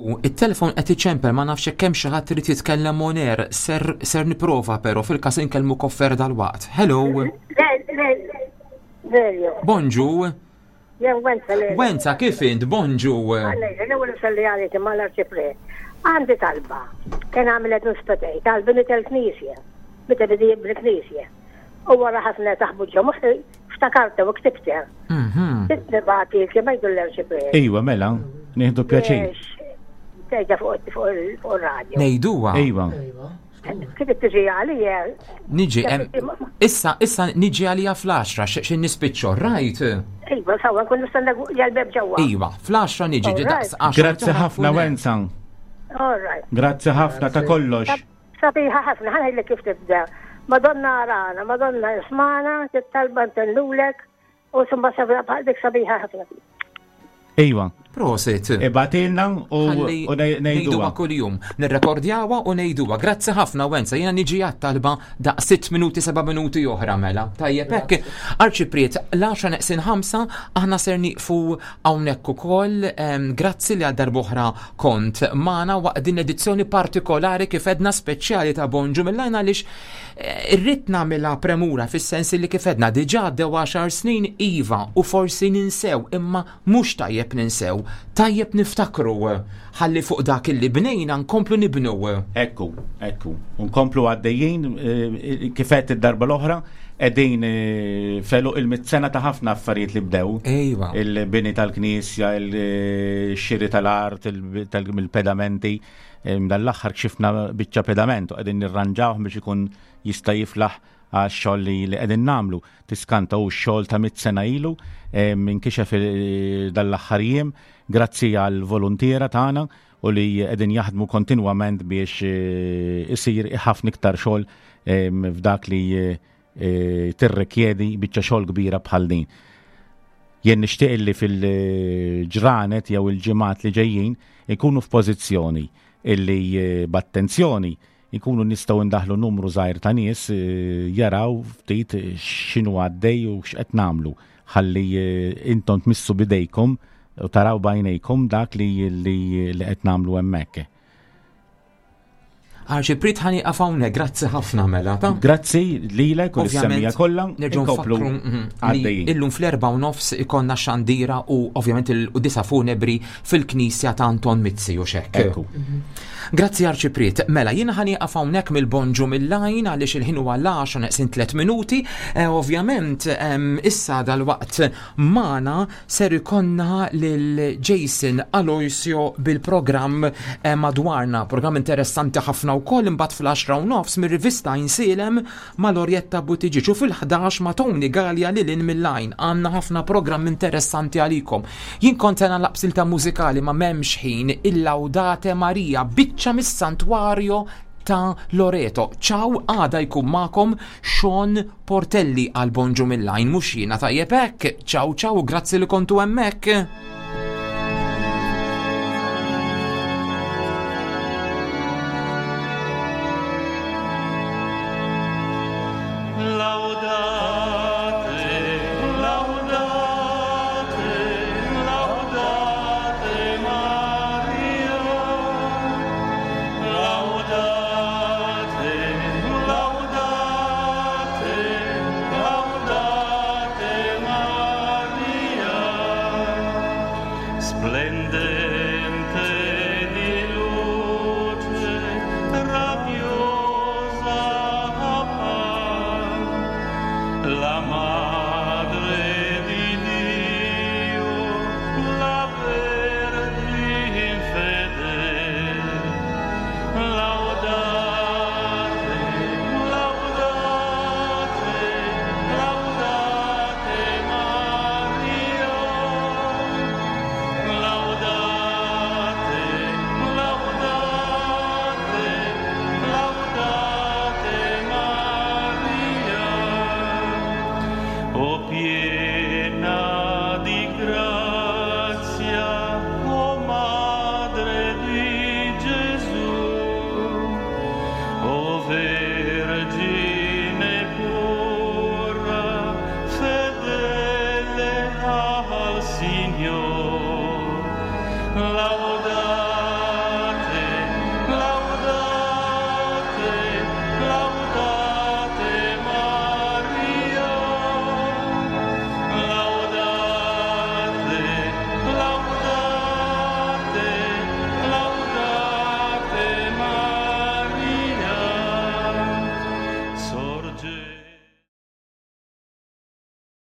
Il-telefon qed iċempel ma nafx hekk hemm xi ħadd irid jitkellem on air, ser, ser niprova però fil-każ inkellmu koffer dal-waqt. Hello. Lelio. Bonġu. Jen Wenza Lelio. Wenza kif int? Bonġu. L-ewwel nsalli għalik imma l-arċipriet. Għandi talba. Kien għamilet nispetej tal-bini tal-knisja. Meta bidi jibni knisja. U wara ħafna taħbu ġo moħħi ftakarta u ktibta. Nibgħati kemm jgħidu l-arċipriet. Iwa, mela, nieħdu pjaċir. Tgħidha fuq ir-radju. Ngħiduha. Iva. Kif tiġi għalija? Niġi, issa, issa niġi għalija fl-10, xi nispiċċo, rajt? Iva, sawa, nkun nistenna jgħal-beb ġewwa. Iva, fl-10 niġi daqs 10. Grazzi ħafna, Wenza. All right. Grazzi ħafna ta' kollox. Sabiħa ħafna, ħanajlek kif tibda. Madonna arana, Madonna ismana, tittalba ntellulek, u summa sabiħa dik sabiħa ħafna. Iva. Prosit. Ibatilna u ngħiduha kuljum. Nirrekordjawha u ngħiduha. Grazzi ħafna Wenza, jiena niġi għat-talba daq 6 minuti 7 minuti oħra mela. Tajjeb hekk. Arċipriet, l-10 neqsin 5 aħna ser nieqfu hawnhekk ukoll. Grazzi li għal darb'oħra kont magħna waqt din edizzjoni partikolari kif edna speċjali ta' Bonġu mill-għajn għaliex eh, irrid nagħmilha premura fis-sens li kif edna diġà għaddew 10 snin iva u forsi ninsew imma Mhux tajjeb ninsew, tajjeb niftakru, ħalli fuq dak illi bnejna nkomplu nibnu. Ekku, ekku. U nkomplu għaddejjin, kif għedt id-darba l-oħra, qegħdin f'għeluq il-mitt sena ta' ħafna affarijiet li bdew. Ejwa. Il-bini tal-knisja, il-xiri tal-art, il-pedamenti. Dan l-aħħar kxifna biċċa pedament u qegħdin nirranġawh biex ikun jista' jiflaħ għax-xogħol li qegħdin nagħmlu. Tiskanta hu x-xogħol ta' mitt sena ilu inkixef dan l-aħħar jiem grazzi għal voluntiera tagħna u li qegħdin jaħdmu kontinwament biex isir ħafna iktar xogħol f'dak li tirrikjedi biċċa xogħol kbira bħal din. Jien nixtieq li fil-ġranet jew il-ġimgħat li ġejjin ikunu f'pożizzjoni illi b'attenzjoni Inkunu nistgħu ndaħħlu numru żgħir ta' nies jaraw ftit x'inhu għaddej u x'qed nagħmlu ħalli intom tmissu b'idejkom u taraw b'għajnejkom dak li li qed nagħmlu hemmhekk. Arċipriet ħa nieqaf hawnhekk, grazzi ħafna mela ta. Grazzi lilek u lis-semmiegħa kollha. Nerġgħu nfakkru li illum fl-4:30 ikollna xandira u ovvjament il-quddiesa funebri fil-knisja ta' Anton Mizzi u x'hekk. Ekku. Grazzi Arċipriet. Mela, jiena ħa nieqaf hawnhekk mill-bonġu mill-għajn għaliex il-ħin huwa l-għaxra neqsin tliet minuti. Eh, ovvjament, issa dalwaqt magħna ser ikollna lil Jason Aloisio bil-programm eh, madwarna, programm interessanti ħafna wkoll imbagħad fl-10 u nofs mir-rivista Insielem ma' Lorietta Buttigieg u fil-11 ma' Tony Galea lil hinn mill-għajn. Għandna ħafna programm interessanti għalikom. Jien kont se nagħlaq b'silta mużikali ma m'hemmx ħin, il-Laudate Maria, biċċa mis-Santwario ta' Loreto. Ciao, għada jkun magħkom Sean Portelli għal Bonġu mill-għajn mhux jiena tajjeb hekk. Ciao ciao u grazzi li kontu hemmhekk. Radiosa la